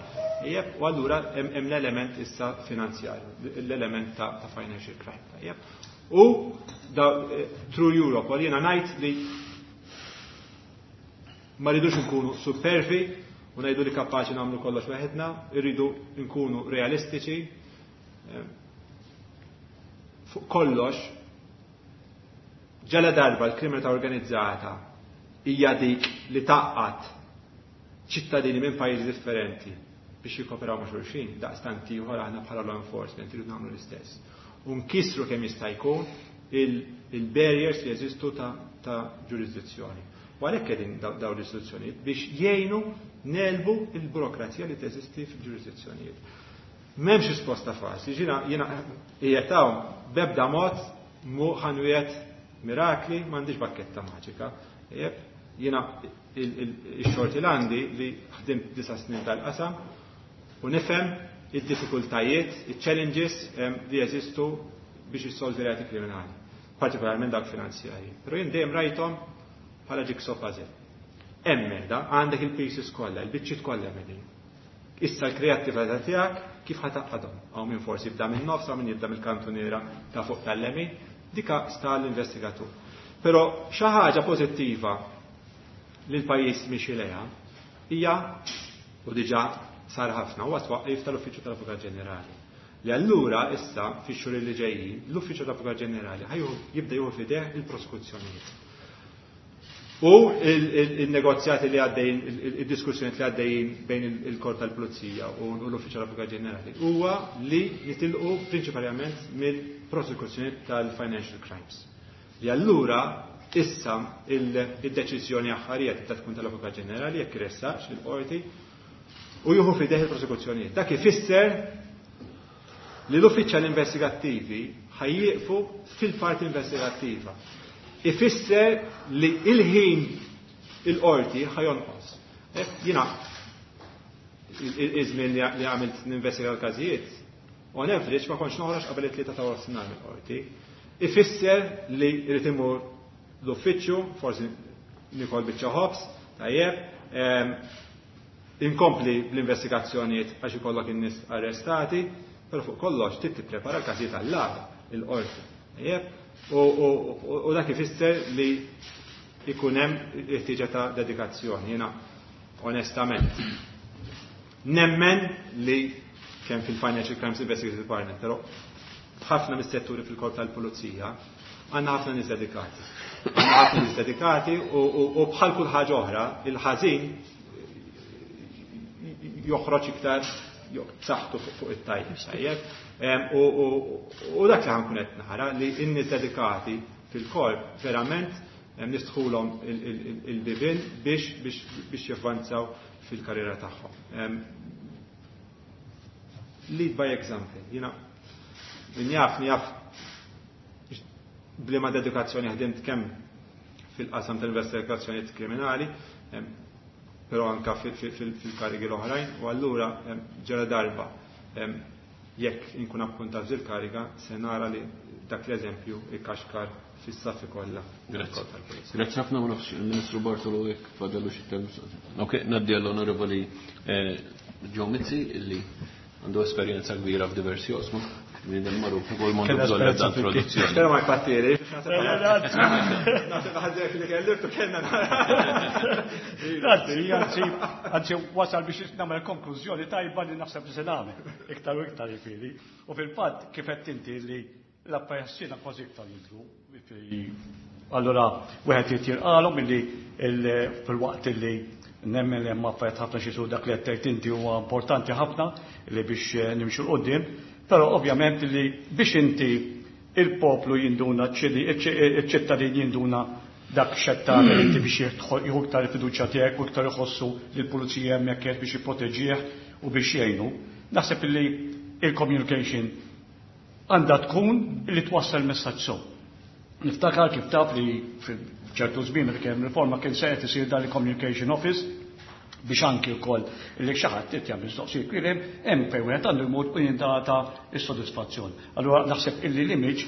u allura hemm l-element issa finanzjarju, l-element ta', ta' financial crime. Tajjeb. U da, through Europol jiena ngħid li ma rridux nkunu supervi u ngħidu li kapaċi nagħmlu kollox weħedna, irridu nkunu realistiċi. Fuq kollox, ġala darba l-kriminalità organizzata hija dik li tgħaqqad ċittadini minn pajjiżi differenti biex jikoperaw ma' xulxin, daqstant ieħor aħna bħala law enforcement irridu nagħmlu l-istess. U nkissru kemm jista' jkun il-barriers li jeżistu ta', ta ġurisdizzjoni. U għalhekk qegħdin dawn l-istituzzjonijiet biex jgħinu negħlbu il-burokrazija li teżisti fil-ġurisdizzjonijiet. M'hemmx risposta faċli, jiena jiena qiegħed hawn b'ebda mod mhu ħa nwiegħed mirakli, m'għandix bakketta maġika. Jiena ix-xorti l-għandi li ħdimt disa' snin tal-qasam u nifhem id-diffikultajiet, il-challenges li jeżistu biex jissolvi reati kriminali, partikolarment dak finanzjarji. Però jien dejjem rajthom bħala jigsaw puzzle. Hemm da għandek il-pieces kollha, il-biċċiet kollha qegħdin. Issa l-kreattività tiegħek kif ħa tgħaqqadhom. Hawn min forsi jibda minn nofs, hawn min jibda mill-kantuniera ta' fuq tal-lemin, dika sta l-investigatur. Però xi ħaġa pożittiva li l-pajjiż miexi lejha hija, u diġà sar ħafna, huwa twaqqif tal-Uffiċċju tal-Avukat Ġenerali. Li allura issa fix-xhur li ġejjin l-Uffiċċju tal-Avukat Ġenerali ħa jibda jieħu f'idejh il-prosekuzzjonijiet. U il-negozjati li għaddejjin, il-diskussjoni li għaddejjin bejn il-Korp tal-Pulizija u l-Uffiċċju tal-Avukat Ġenerali huwa li jitilqu prinċipalment mill-prosekuzzjoni tal-financial crimes. Li allura issa il-deċiżjoni aħħarija tibda tkun tal-Avukat Ġenerali jekk iressaqx il-qorti u jieħu f'idejh il-prosekuzzjonijiet. Dak ifisser li l-uffiċjali investigattivi ħa jieqfu fil-parti investigattiva. Ifisser li il-ħin il-qorti ħa jonqos. Jiena iż-żmien li għamilt ninvestiga l-każijiet, on average ma kontx noħroġ qabel it-tlieta ta' nofsinhar mill-qorti. Ifisser li jrid imur l-uffiċċju, forsi nikol biċċa ħobż, tajjeb, inkompli bl-investigazzjonijiet għax ikollok in-nies arrestati, però fuq kollox trid tipprepara l-każijiet għall-għada il-qorti. Tajjeb, u dak ifisser li ikun hemm ħtieġa ta' dedikazzjoni. Jiena onestament nemmen li kemm fil-Financial Crimes Investigative Department, però ħafna mis-setturi fil-korp tal-pulizija għandna ħafna nies dedikati. Għandna ħafna nies dedikati u bħal kull ħaġa oħra, il-ħażin joħroġ iktar b'saħħtu fuq it-tajjeb. Tajjeb. U dak li ħa nkun qed nara li n-nies dedikati fil-korp verament niftħulhom il-bibien biex biex javvanzaw fil-karriera tagħhom. Lead by example. Jiena min jaf jaf b'liema dedikazzjoni ħdimt kemm fil-qasam tal-investigazzjonijiet kriminali, però anka fil-karigi l-oħrajn, u allura ġara darba jekk inkun appuntat fil-kariga se nara li dak l-eżempju ikkaxkar fis-saffi kollha. Grazzi. Grazzi ħafna, ma nafx il-Ministru Bartolo jekk fadallu xi term. Ok, ngħaddi għall-Onorevoli Joe Mizzi illi għandu esperjenza kbira f'diversi oqsma. Minn il-magħruf ukoll m'għandu bżonn ebda introduzzjoni. Però ma jpattiri. Naħseb ħażek li kelliftu kellna. Grazzi, anzi, anzi wasal biex nagħmel konklużjoni tajba li naħseb li se nagħmel iktar u iktar jifieri. U fil-fatt kif qed inti li l-appajassina kważi iktar jidhru. Allora, wieħed jitjirqalhom illi fil-waqt illi nemmen li hemm affarijiet ħafna xi dak li qed tgħid inti huwa importanti ħafna li biex nimxu 'l quddiem. Però ovvjament li biex inti il-poplu jinduna, iċ-ċittadin jinduna dak x'qed tagħmel inti biex jieħu iktar il-fiduċja tiegħek u iktar iħossu li l-pulizija hemmhekk qed biex jipproteġih u biex jgħinu. Naħseb li il-communication għandha tkun li twassal messaġġ sew. Niftakar kif taf li f'ċertu żmien meta kien riforma kien se qed isir dan il-communication office biex anki wkoll li xi ħadd qed jagħmel mistoqsijiet kien hemm hemm fejn wieħed għandu jmur u jingħata s-sodisfazzjon. Allura naħseb illi l-image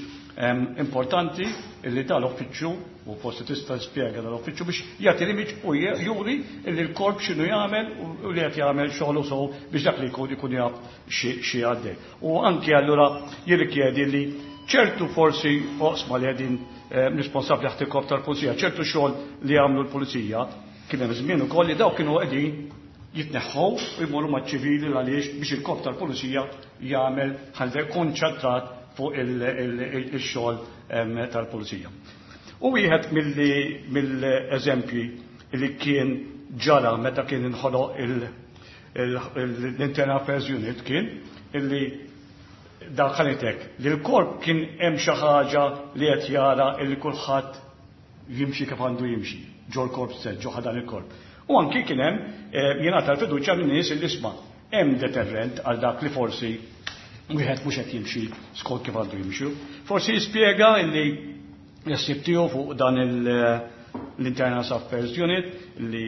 importanti illi dal-uffiċċju u forsi tista' tispjega dal-uffiċċju biex jagħti l-image u juri illi l-korp x'inhu jagħmel u li qed jagħmel xogħlu sew biex dak li jkun ikun jaf xi għaddej. U anki allura jirrikjedi li ċertu forsi oqsma li qegħdin responsabbli taħt il-korp tal-pulizija, ċertu xogħol li jagħmlu l-pulizija, kien hemm żmien ukoll li dawk kienu qegħdin jitneħħu u jmorru maċ-ċivili għaliex biex il-korp tal-pulizija jagħmel ħalli konċentrat fuq il-xogħol tal-pulizija. U wieħed mill-eżempji li kien ġara meta kien inħoloq l-Internal Affairs Unit kien illi dak ħanitek li l-korp kien hemm xi ħaġa li qed jara illi kulħadd jimxi kif għandu jimxi ġol korp stess, ġo ħadan il-korp. U anki kien hemm jingħata l-fiduċja minn nies illi isma' hemm deterrent għal dak li forsi wieħed mhux qed jimxi skont kif għandu jimxi. Forsi jispjega illi ħsieb tiegħu fuq dan l-Internal Affairs Unit li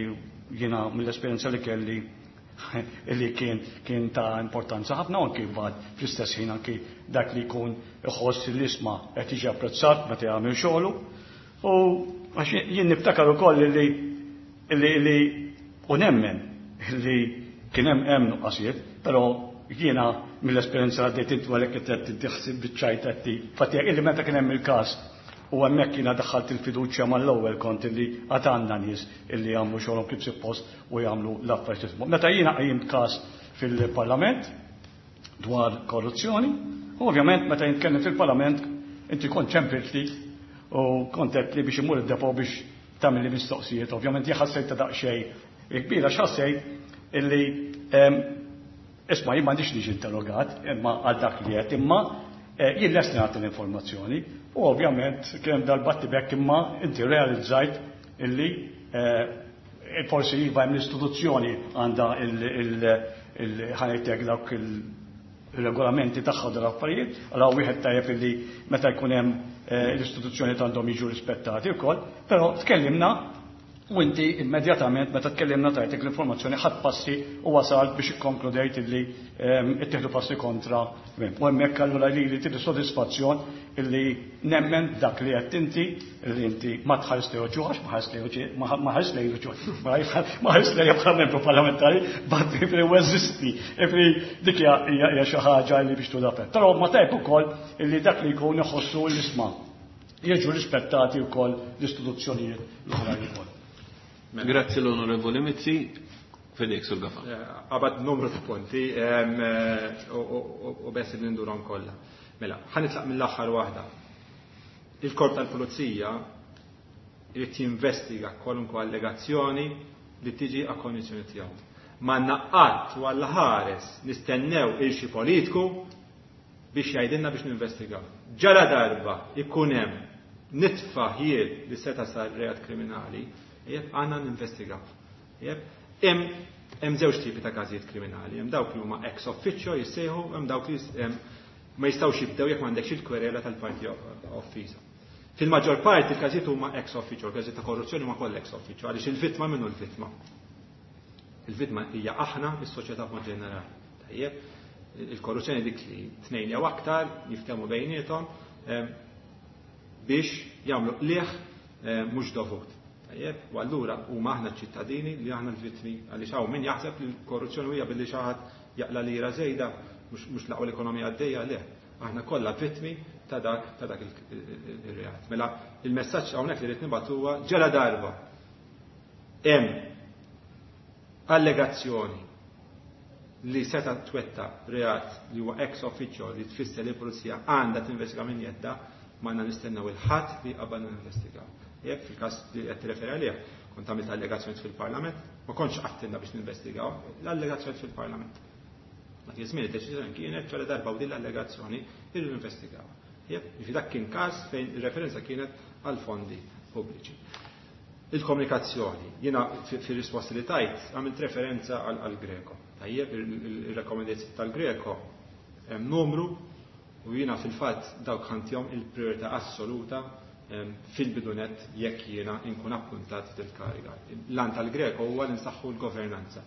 jiena mill-esperjenza li kelli illi kien kien ta' importanza ħafna u anki mbagħad fl-istess ħin anki dak li jkun iħoss li isma' qed jiġi apprezzat meta jagħmel xogħlu. U għax jien niftakar ukoll li li li u nemmen li kien hemm hemm nuqqasijiet, però jiena mill-esperjenza għaddejt intu għalhekk qed tiddiħsib biċ-ċajt qed fatija illi meta kien hemm il-każ u hemmhekk jiena daħħalt il-fiduċja mal-ewwel kont illi għad għandna nies illi jagħmlu xogħolhom kif suppost u jagħmlu l-affarijiet. Meta jiena qajjimt każ fil-Parlament dwar korruzzjoni, u ovvjament meta jitkellem fil-Parlament inti kont ċempiltli u kont li biex imur id-depo biex tagħmel li mistoqsijiet. Ovvjament jien ħassejt ta' daqsxejn kbira x'ħassejt illi isma' jien m'għandix niġi interrogat imma għal dak li qed imma jien lest nagħti l-informazzjoni u ovvjament kien hemm dal-battibek imma inti realizzajt illi forsi iva hemm l-istituzzjoni għandha il-ħanejtek dawk il-regolamenti tagħha u dal-affarijiet, allora wieħed tajjeb illi meta jkun hemm l-istituzzjoni għandhom jiġu rispettati wkoll, però tkellimna u inti immedjatament meta tkellimna tajtek l-informazzjoni ħadd passi u wasalt biex ikkonkludejt illi ittieħdu passi kontra. U hemmhekk allura li li tidi sodisfazzjon illi nemmen dak li qed inti illi inti ma tħares lejn ġuħax, ma ħares lejn ma ħares lejn ġuħ, ma ħares lejn bħala membru parlamentari, bat li eżisti. Ifri dik hija xi ħaġa li biex tudapet. Però ma tajb ukoll illi dak li jkun iħossu l-isma' jiġu rispettati wkoll l-istituzzjonijiet l-oħrajn ukoll. Grazzi l-Onorevoli Mizzi, Fedek Sur Gafa. Qabad numru ta' punti u bes li ndurhom kollha. Mela, ħa nitlaq mill-aħħar waħda. Il-korp tal-pulizija irid jinvestiga kwalunkwe allegazzjoni li tiġi a kondizzjoni tiegħu. Ma naqqat u għall ħares nistennew il xi politiku biex jgħidilna biex ninvestigaw. Ġara darba ikun hemm nitfa' ħjiel li seta' sar reat kriminali, jeb għandna ninvestigaw. Jeb, hemm żewġ tipi ta' każijiet kriminali, hemm dawk li huma ex officio jissejħu, hemm dawk li ma jistgħux jibdew jekk m'għandekx il-kwerela tal-parti offiża. Fil-maġġor parti il-każijiet huma ex officio, il-każijiet ta' korruzzjoni huma kollha ex officio, għaliex il-vittma minnu l-vittma. Il-vittma hija aħna is-soċjetà b'mod ġenerali. Tajjeb, il-korruzzjoni dik li tnejn jew aktar jiftehmu bejniethom biex jagħmlu qligħ mhux dovut. Tajjeb, u allura huma aħna ċittadini li aħna l-vittmi għaliex hawn min jaħseb li l-korruzzjoni hija billi xi ħadd jaqla lira żejda mhux laqgħu l-ekonomija għaddejja, le. Aħna kollha vittmi ta' dak ta' dak ir-reat. Mela il-messaġġ hawnhekk li rrid nibgħat huwa ġela darba hemm allegazzjoni li seta' twetta reat li huwa ex officio li tfisser li l-pulizija għandha tinvestiga minn jedda, ma għandna nistennew il-ħadd li qabadna ninvestigaw. Jekk fil-każ li qed tirreferi għalih, kont għamilt allegazzjoni fil-Parlament, ma kontx qattilna biex ninvestigaw, l-allegazzjoni fil-Parlament. Dak iż-żmien id-deċiżjoni kienet ċara darba u din l-allegazzjoni irridu investigawha. Jiġifieri dak kien każ fejn ir-referenza kienet għal fondi pubbliċi. Il-komunikazzjoni, jiena fir-risposti li tajt għamilt referenza għal Greco. Tajjeb, ir-rakkomandazzjoni tal-Greco hemm numru u jiena fil-fatt dawk ħantihom il-priorità assoluta fil-bidunet jekk jiena nkun appuntat fil-kariga. L-għan tal-Greco huwa li nsaħħu l-governanza.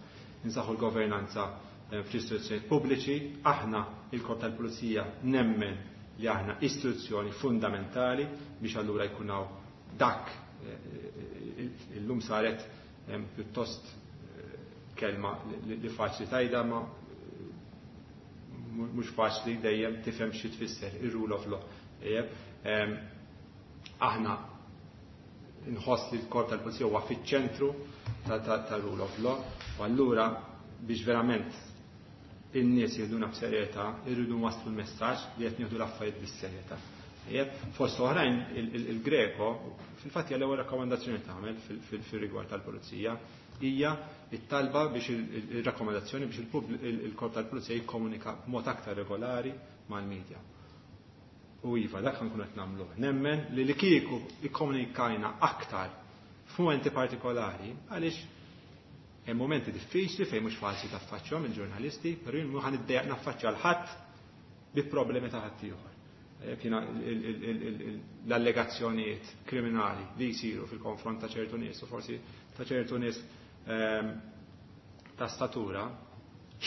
Nsaħħu l-governanza fl-istituzzjonijiet pubbliċi, aħna il-Korp tal-Pulizija nemmen li aħna istituzzjoni fundamentali biex allura jkun hawn dak illum saret pjuttost kelma li faċli tajda ma mhux faċli dejjem tifhem xi tfisser ir-rule of law. Aħna nħoss li l-Korp tal-Pulizija huwa fiċ-ċentru ta' rule of law u allura biex verament in-nies jieħduna b'serjetà, irridu nwasslu l-messaġġ li qed nieħdu l-affarijiet bis-serjetà. Fost oħrajn il-Greco, fil-fatt hija l-ewwel rakkomandazzjoni tagħmel fil-rigward tal-Pulizija, hija it-talba biex il-rakkomandazzjoni biex il-Korp tal-Pulizija jikkomunika b'mod aktar regolari mal-medja. U iva, dak nkun qed nagħmlu. Nemmen li li kieku ikkomunikajna aktar f'mumenti partikolari, għaliex hemm momenti diffiċli fejn mhux faċli taffaċċjahom il-ġurnalisti, però jien mhux ħaniddejjaq naffaċċja l ħadd bi problemi ta' ħadd ieħor. Jiena l-allegazzjonijiet kriminali li jsiru fil-konfront ta' ċertu nies u forsi ta' ċertu nies ta' statura,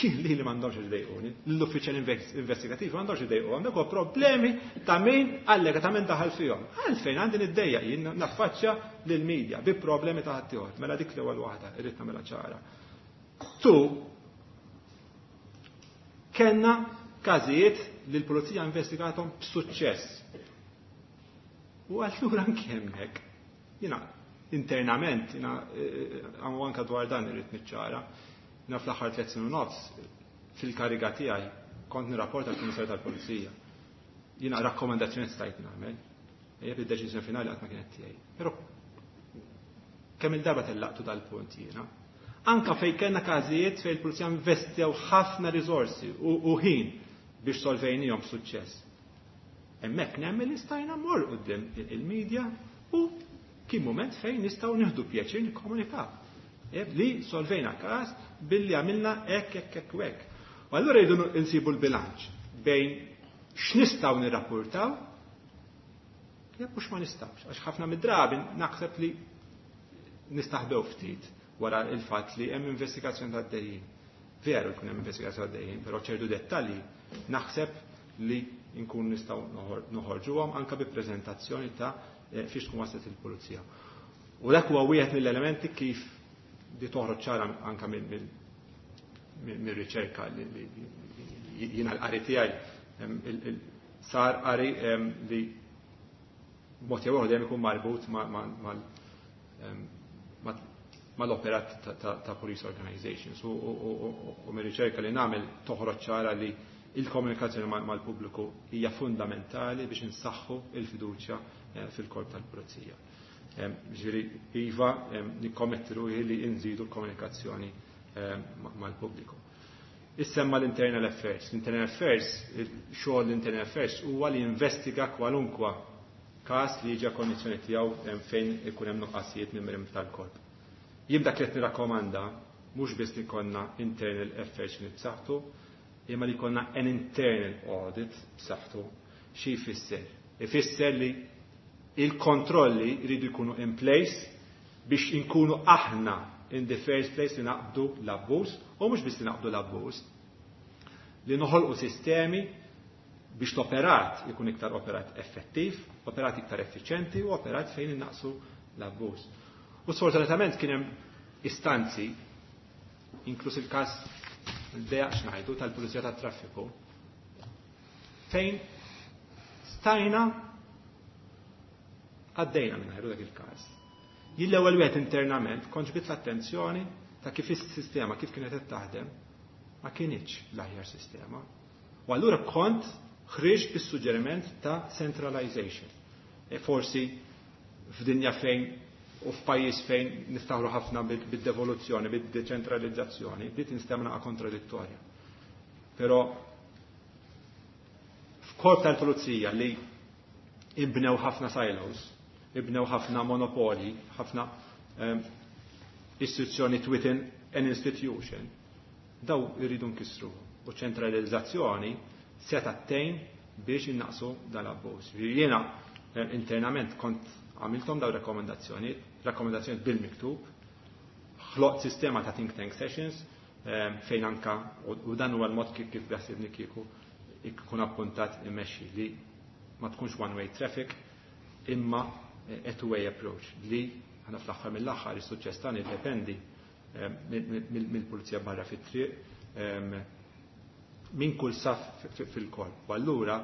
li li m'għandhomx idejquni, l-uffiċjal investigativ m'għandhomx idejqu, għandek problemi ta' min allega ta' min daħal fihom. Għalfejn għandi niddejjaq jien naffaċċja lill-medja bi problemi ta' ħaddieħor. Mela dik l-ewwel waħda irrid nagħmilha ċara. Tu kellna każijiet li l-pulizija investigathom b'suċċess. U allura anke hemmhekk, jiena internament, jiena għamu anka dwar dan irrid niċċara, jiena fl-aħħar tliet snin u nofs fil-kariga tiegħi kont nirrapporta l-Kummissarju tal-Pulizija. Jiena rakkomandazzjoni stajt nagħmel, jeb id-deċiżjoni finali qatt ma kienet tiegħi. Però kemm il-darba tellaqtu dal-punt jiena. Anka fejn kellna każijiet fejn il-pulizija investew ħafna riżorsi u ħin biex solvejnihom b'suċċess. Hemmhekk nemmen li stajna mmur quddiem il-medja u kien moment fejn nistgħu nieħdu pjaċir nikkomunikaw. Li solvejna każ billi għamilna hekk hekk hekk u hekk. U allura jridu nsibu l-bilanċ bejn x'nistgħu nirrapportaw jekk mhux ma nistgħux. Għax ħafna mid-drabi naħseb li nistaħbew ftit wara il-fatt li hemm investigazzjoni għaddejjin. Veru jkun hemm investigazzjoni għaddejjin, però ċertu dettalji naħseb li nkun nistgħu noħorġuhom anke bi preżentazzjoni ta' fiex tkun waslet il-pulizija. U dak huwa wieħed mill-elementi kif di toħroġ ċara anke mill-riċerka li jiena l-qari tiegħi sar qari li mod jew dejjem ikun marbut mal-operat ta' police organizations u mir-riċerka li nagħmel toħroġ ċara li il-komunikazzjoni mal-pubbliku hija fundamentali biex insaħħu il-fiduċja fil-korp tal-pulizija. Ġifieri iva nikkommetti ruħi li nżidu l-komunikazzjoni mal-pubbliku. Issemma l-Internal Affairs. L-Internal Affairs, xogħol l-Internal Affairs huwa li investiga kwalunkwa każ li jiġi konjizzjoni tiegħu fejn ikun hemm nuqqasijiet minn membri tal-korp. Jien dak li qed nirrakkomanda mhux biss li jkollna internal affairs li b'saħħtu, imma li jkollna an internal audit b'saħħtu. Xi jfisser? Ifisser li il-kontrolli jridu jkunu in place biex inkunu aħna in the first place li naqbdu l-abbuż, u mhux biss li naqbdu l-abbuż, li noħolqu sistemi biex l-operat ikun iktar operat effettiv, operat iktar effiċenti u operat fejn innaqsu l-abbuż. U sfortunatament kien hemm istanzi, inkluż il-każ il-dejaq ngħidu tal-Pulizija tat-Traffiku, fejn stajna għaddejna minn dak il-każ. Jien l-ewwel wieħed internament kont ġbit l-attenzjoni ta' kif is-sistema kif kienet qed taħdem ma kienitx l-aħjar sistema. U allura kont ħriġt bis-suġġeriment ta' centralization. E forsi f'dinja fejn u f'pajjiż fejn niftaħru ħafna bid-devoluzzjoni, bid-deċentralizzazzjoni, bdiet tinstema' kontradittorja. Però f'korp tal-pulizija li ibnew ħafna silos, ibnew ħafna monopoli, ħafna um, istituzzjoni within an institution, daw irridu nkissru. U ċentralizzazzjoni se tgħin biex innaqsu dal-abbuż. Jiena internament kont għamiltom daw rakkomandazzjonijiet, rakkomandazzjonijiet bil-miktub, ħloqt sistema ta' think tank sessions fejn anka u dan huwa l-mod kif kif beħsibni kieku ikun appuntat immexxi li ma tkunx one way traffic imma a two way approach li aħna fl-aħħar mill-aħħar is-suċċess tagħna jiddependi mill-pulizija barra fit-triq minn kull saf fil-korp. U allura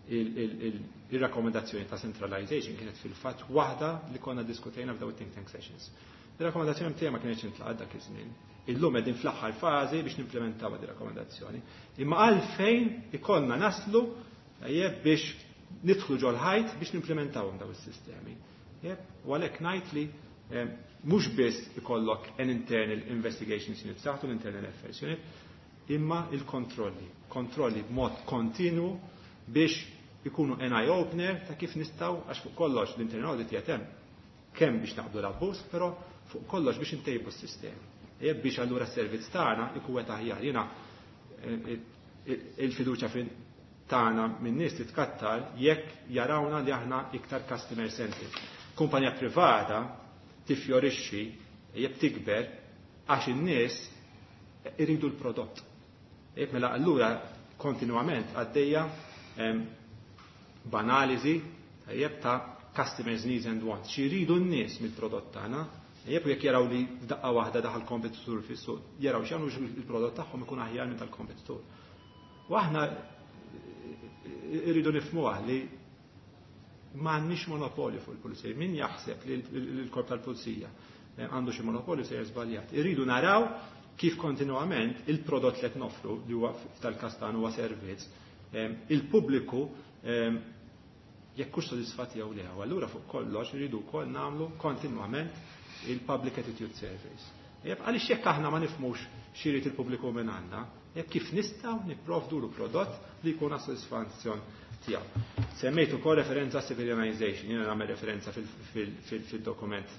il-rakkomandazzjoni ta' centralization kienet fil-fatt waħda li konna diskutejna f'daw think tank sessions. Il-rakkomandazzjoni tiegħi ma kienx intlaqat dak iż-żmien. Illum qegħdin fl-aħħar fażi biex nimplementaw din rakkomandazzjoni. Imma għalfejn ikollna naslu biex nidħlu ġol-ħajt biex nimplementawhom daw is-sistemi. U għalhekk ngħid li mhux biss ikollok an internal investigation unit saħtu l-internal affairs unit, imma il-kontrolli. Kontrolli b'mod kontinu biex ikunu an eye opener ta' kif nistgħu għax fuq kollox l-internal audit jatem kemm biex naqbdu l-abbuż, però fuq kollox biex intejbu s-sistemi. Biex allura s-servizz tagħna ikun qed aħjar. Jiena il-fiduċja tagħna minn nies titkattar jekk jarawna li aħna iktar customer centric. Kumpanija privata tifjorixxi jekk tikber għax in-nies iridu l-prodott. Jekk mela allura kontinwament għaddejja b'analiżi tajjeb ta' customers needs and wants. Xi jridu n-nies mill-prodott tagħna, jekk jekk jaraw li f'daqqa waħda daħal kompetitur fis-suq, jaraw x'jagħmlu biex il-prodott tagħhom ikun aħjar minn tal-kompetitur. U aħna irridu nifhmuha li m'għandniex monopolju fuq il-pulizija. Min jaħseb li l-korp tal-pulizija għandu xi monopolju se żbaljat. Irridu naraw kif kontinwament il-prodott li qed noffru li huwa tal-każ tagħna huwa servizz, il-pubbliku jekk hux sodisfatti jew le. Allura fuq kollox irridu wkoll nagħmlu kontinwament il-public attitude surveys. Għaliex jekk aħna ma nifhmux x'irid il-pubbliku minn għandna, jekk kif nistgħu nipprovdu l prodott li jkun għas-sodisfazzjon tiegħu. Semmejt ukoll referenza civilianization, jiena nagħmel referenza fil-dokument.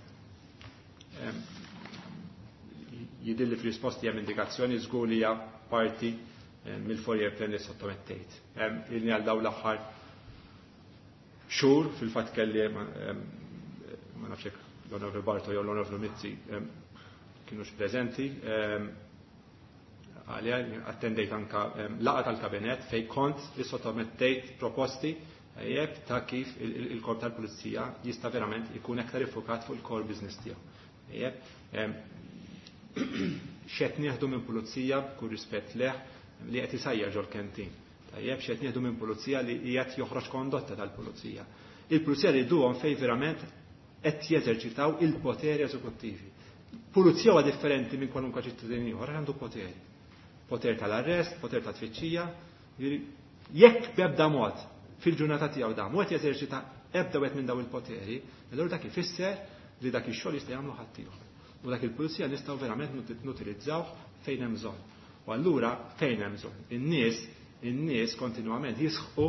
Jidilli fil-risposti hemm indikazzjoni żgur li hija parti mill-four-year plan li sottomettejt. Ilni għal daw l-aħħar xhur fil-fatt kelli ma nafx hekk l-Onorevoli Barto jew l-Onorevoli Mizzi kienux preżenti għalija attendejt anka laqgħa tal-kabinet fej kont li sottomettejt proposti jeb ta' kif il-korp tal-pulizija jista' verament ikun aktar iffokat fuq il-core business tiegħu. Jeb, x'qed nieħdu minn pulizija b'kull rispett leh li qed isajjar ġol-canteen. Tajjeb, x'qed nieħdu minn pulizija li qiegħed joħroġ kondotta tal-pulizija. Il-pulizija li jduhom fej verament qed jeżerċitaw il-poteri eżekuttivi. Pulizija huwa differenti minn kwalunkwe ċittadin ieħor għandu poteri. Poter tal-arrest, poter ta' tfittxija. Jekk b'ebda mod fil-ġurnata tiegħu da mod jeżerċita ebda wieħed minn daw il-poteri, allura dak ifisser li dak ix-xogħol jista' jagħmlu ħadd ieħor. U dak il-pulizija nistgħu verament nutilizzawh fejn hemm bżonn. U allura fejn hemm bżonn? In-nies in-nies kontinwament jisħqu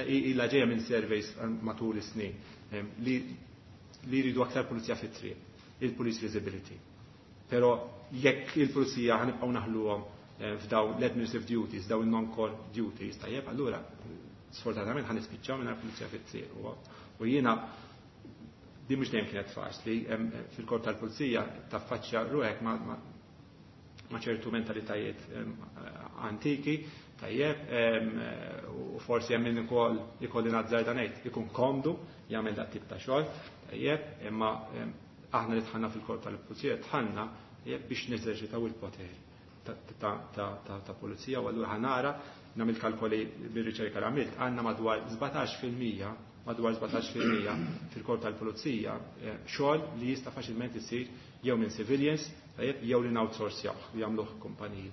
ilha ġejja minn surveys matul is-snin li li jridu aktar pulizija fit-triq, il-police visibility. Però jekk il-pulizija ħanibqgħu naħluhom f'daw l-administrative duties, daw il-non-core duties, tajjeb, allura sfortunatament ħan nispiċċaw minn pulizija fit-triq. U jiena di mhux dejjem kienet faċli, fil-korp tal-pulizija taffaċċja ruħek ma' ċertu mentalitajiet antiki, tajjeb, u forsi hemm min ukoll ikolli nazzarda ngħid ikun komdu jagħmel dat tip ta' xogħol, tajjeb, imma aħna li dħalna fil-korp tal-pulizija dħalna biex neżerċitaw il-poteri ta' pulizija u allura ħanara nagħmel kalkoli bir-riċerka li għamilt għandna madwar sbatax fil-mija madwar sbatax fil-mija fil-korp tal-pulizija xogħol li jista' faċilment isir jew minn civilians tajjeb jew li outsourcjaw jagħmluh kumpaniji.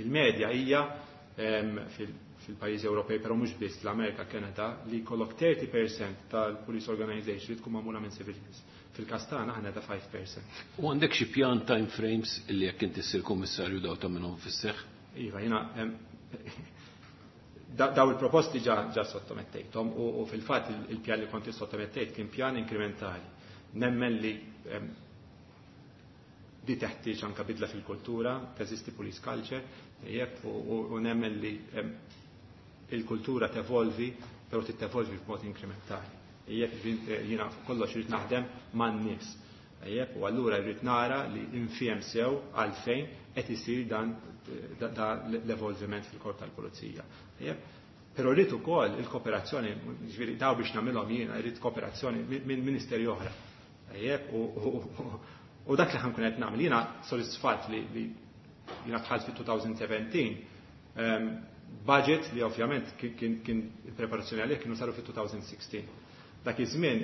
Il-medja hija fil-pajjiżi Ewropej, però mhux biss, l-Amerika, Kanada, li jkollok thirty percent tal-police organization li tkun magħmula minn civilians. Fil-każ tagħna aħna ta' five percent. U għandek xi pjan, time frames, illi jekk inti ssir kummissarju daw ta' minnhom fis-seħħ? Iva, jiena daw il-proposti ġa ġa sottomettejthom u, u fil-fatt il-pjan li konti sottomettejt kien pjan inkrementali. Nemmen li di teħtieġ anka bidla fil-kultura, teżisti police culture, jekk u, u nemmen li il-kultura tevolvi, però titevolvi b'mod inkrementali. Jekk jiena kollox irid naħdem man-nies. Jekk u allura jrid nara li nifhem sew għalfejn qed isir dan l-evolviment fil-korp tal-pulizija. Però rrid ukoll il-kooperazzjoni, ġifieri daw biex nagħmilhom jiena rrid kooperazzjoni minn ministeri oħra. U dak li ħa nkun qed nagħmel, jiena sodisfatt li jiena dħalt fit-elfejn u sbatax budget li ovvjament kien il-preparazzjoni għalih kienu saru fit-elfejn u sittax. Dak iż-żmien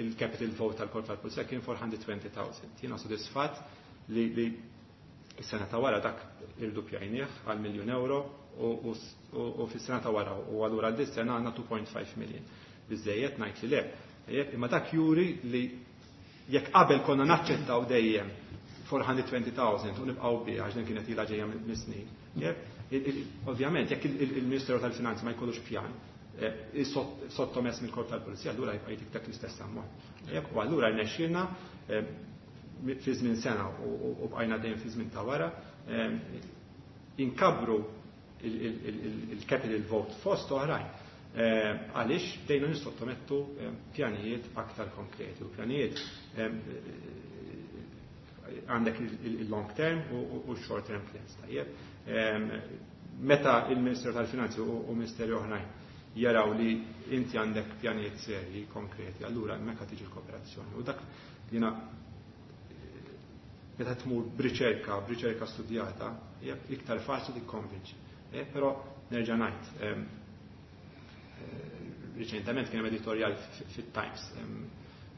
il-capital vote tal-korp tal-pulizija kien four hundred twenty thousand. Jiena sodisfatt li is-sena ta' wara dak irdupjajnieh għal miljun euro u fis-sena ta' wara u allura għal sena għandna two point five million. Biżejjed? Ngħid li le. Imma dak juri li jekk qabel konna naċċettaw dejjem four hundred twenty thousand u nibqgħu biha għax din kienet ilha ġejja minn snin. Ovvjament, jekk il-Ministeru tal-Finanzi ma jkollux pjan eh, sottomess mill-korp tal-Pulizija, allura jibqa' jtik dak l-istess ammont. U allura rnexxielna eh, fi żmien sena u bqajna dejjem fi żmien ta' wara eh, inkabru il-capital vote fost oħrajn. Għaliex bdejna nissottomettu pjanijiet aktar konkreti u pjanijiet għandek il-long term u short term plans. Tajjeb. Meta il-Ministeru tal-Finanzi u Ministeri oħrajn jaraw li inti għandek pjanijiet serji, konkreti, allura hemmhekk tiġi l-kooperazzjoni. U dak jiena meta tmur b'riċerka, b'riċerka studjata, iktar faċli tikkonvinċi. Eh, però nerġa' ngħid, eh, riċentement kien hemm editorial fit-Times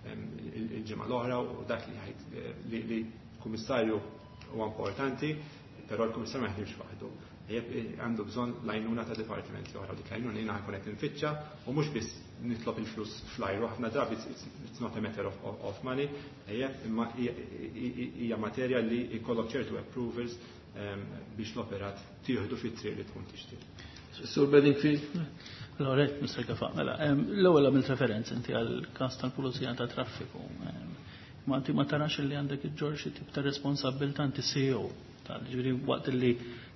il-ġimgħa l-oħra u dak li ħajt eh, li kummissarju huwa importanti, però l-kummissarju ma jaħdimx waħdu. Għandu bżonn l-għajnuna ta' dipartimenti oħra, dik l-għajnuna jiena ħa nkun qed infittxa u mhux biss nitlob il-flus fl-ajru, ħafna drabi it's not a matter of, of money, imma hija materja li jkollok ċertu approvals biex l-operat tieħdu fit-triq li tkun tixtieq. Sur Bedingfield? Allora, Mister Gafa, mela, l-ewwel għamilt referenza inti għal każ tal-Pulizija ta' Traffiku. Ma inti ma tarax li għandek iġġorr xi tip ta' responsabbiltà, inti C E O, tal-ġifieri waqt li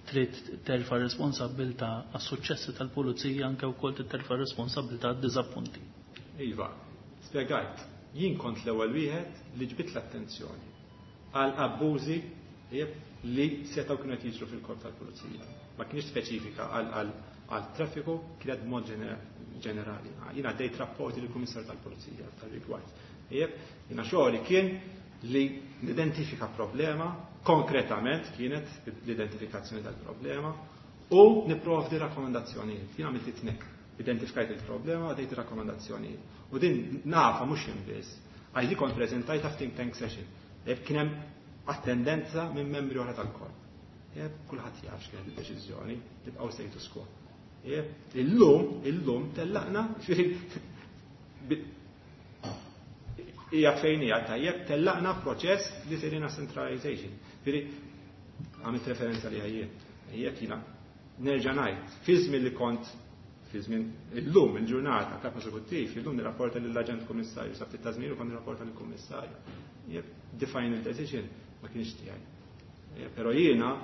trid terfa' responsabbiltà għas-suċċessi tal-pulizija, anke wkoll terfa' responsabbiltà għad-diżappunti? Iva, spjegajt, jien kont l-ewwel wieħed li ġbit l-attenzjoni għal abbużi li setgħu kienu qed jiġru fil-korp tal-pulizija. Ma kienx speċifika għal għal traffiku, kienet b'mod ġenerali. Jiena għaddejt rapporti lill kummissar tal-Pulizija tal-rigward. Jiena xogħli kien li nidentifika problema, konkretament kienet l-identifikazzjoni tal-problema, u niprovdi rakkomandazzjonijiet. Jiena għamilt it-tnejn. Identifikajt il-problema, għaddejt rakkomandazzjonijiet. U din nafa mhux jien biss, għax di kont preżentajta f'think tank session. Kien hemm attendenza minn membri oħra tal-korp. Kulħadd jaf x'kienet id-deċiżjoni, nibqgħu status quo. Illum, illum tellaqna, hija fejn hija tajjeb, tellaqna proċess li sejrina centralization. Ġifieri għamilt referenza li għajjien. Jekk jiena nerġa' ngħid, fi żmien li kont fi żmien illum il-ġurnata kap eżekuttiv, illum nirrapporta lill-aġent kummissarju, sa ftit ta' żmien kont nirrapporta lill-kummissarju. The final decision ma kienx tiegħi. Però jiena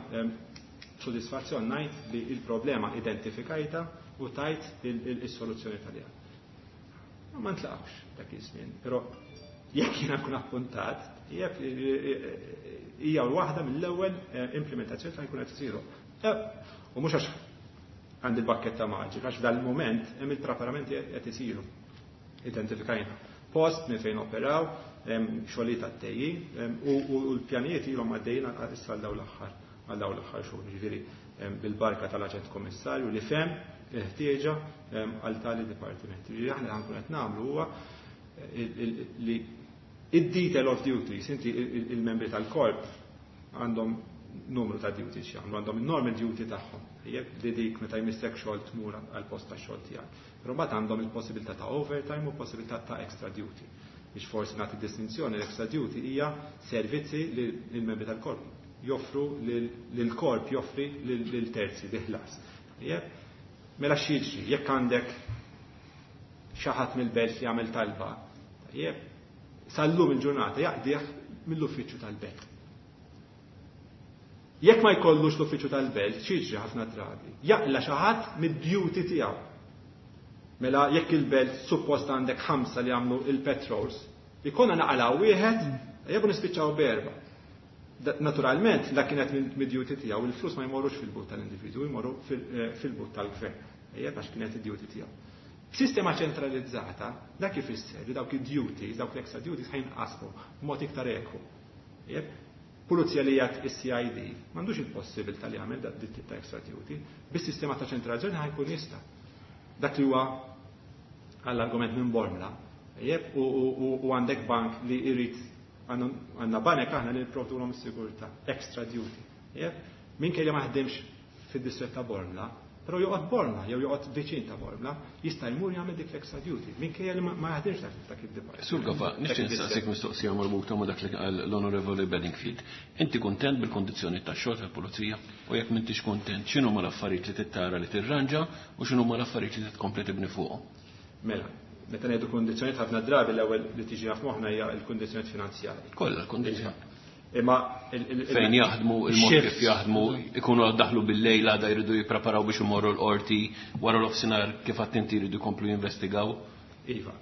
sodisfazzjon ngħid li il-problema identifikajta u tajt il-soluzzjoni tal Ma ntlaqx dak iż-żmien, però jekk jiena nkun appuntat, jekk hija waħda mill-ewwel eh, implementazzjoni ta' jkun qed isiru. Eh, u mhux għax għandi l-bakketta maġika, għax f'dal-moment hemm il-preparamenti qed isiru. Identifikajna post minn fejn operaw, xogħlijiet għaddejjin u l-pjanijiet ilhom għaddejjin issa għal dawn l-aħħar għal dawn l-aħħar xhur, ġifieri bil-barka tal-aġent kommissarju li fehem il-ħtieġa għal tali dipartimenti. Ġifieri aħna ħa nkunu qed nagħmlu huwa li id-detail of duties, inti il-membri tal-korp għandhom numru ta' duties jagħmlu, għandhom il-normal duty tagħhom. Jekk li dik meta jmissek xogħol tmur għal post ta' xogħol tiegħek. Però mbagħad għandhom il-possibilità ta' overtime u possibilità ta' extra duty. Biex forsi nagħti distinzjoni, l-extra duty hija servizzi li l-membri tal-korp joffru lil-korp joffri lil terzi bi ħlas. Mela x'jiġri jekk għandek xi ħadd mill-belt li jagħmel talba, tajjeb, sal-lum il-ġurnata jaqdih mill-uffiċċju tal-belt. Jekk ma jkollux l-uffiċċju tal-belt, x'jiġri ħafna drabi? Jaqla' xi ħadd mid-duty tiegħu. Mela jekk il-belt suppost għandek ħamsa li jagħmlu il-patrols, ikonna naqalaw wieħed, jebu nispiċċaw b'erba'. Naturalment, la kienet mid-duty tiegħu, il-flus ma jmorrux fil-but tal-individu, jmorru fil-but tal-gvern. Ejjeb għax kienet id-duty tiegħu. Sistema ċentralizzata, dak ifisser li dawk id-duties, dawk l-extra duties ħa jinqasmu b'mod iktar ekwu. Pulizija li jgħat is-C I D m'għandux il-possibilità li jagħmel dak tip ta' extra duty, bis-sistema ta' ċentralizzazzjoni ħa jkun jista'. Dak li huwa għall-argument minn Bormla, u għandek bank li jrid, għandna banek aħna li nipprovdulhom is-sigurtà, extra duty. Minkejja ma ħdimx fid-distrett ta' Bormla, però joqgħod Bormla jew joqgħod viċin ta' Bormla, jista' jmur jagħmel dik l-extra duty minkejja li ma jaħdimx dak id-dipartiment. Sur Gafa, nixtieq nistaqsik mistoqsija marbuta ma' dak li qal l-Onorevoli Bedingfield. Inti kuntent bil-kondizzjoni tax-xogħol tal-pulizija? U jekk m'intix kuntent, x'inhu l-affarijiet li tittara li tirranġa u x'inhu l-affarijiet li tkompli tibni fuqhom? Mela, meta ngħidu kundizzjonijiet, ħafna drabi l-ewwel li tiġi f'moħħna hija l-kundizzjonijiet finanzjarji. Kollha l-kundizzjoni. Imma fejn jaħdmu, il-mod kif jaħdmu, ikunu daħlu bil-lejl, għada jridu jippreparaw biex imorru l-qorti, wara l-offsinar kif attenti jridu jkomplu jinvestigaw. Iva,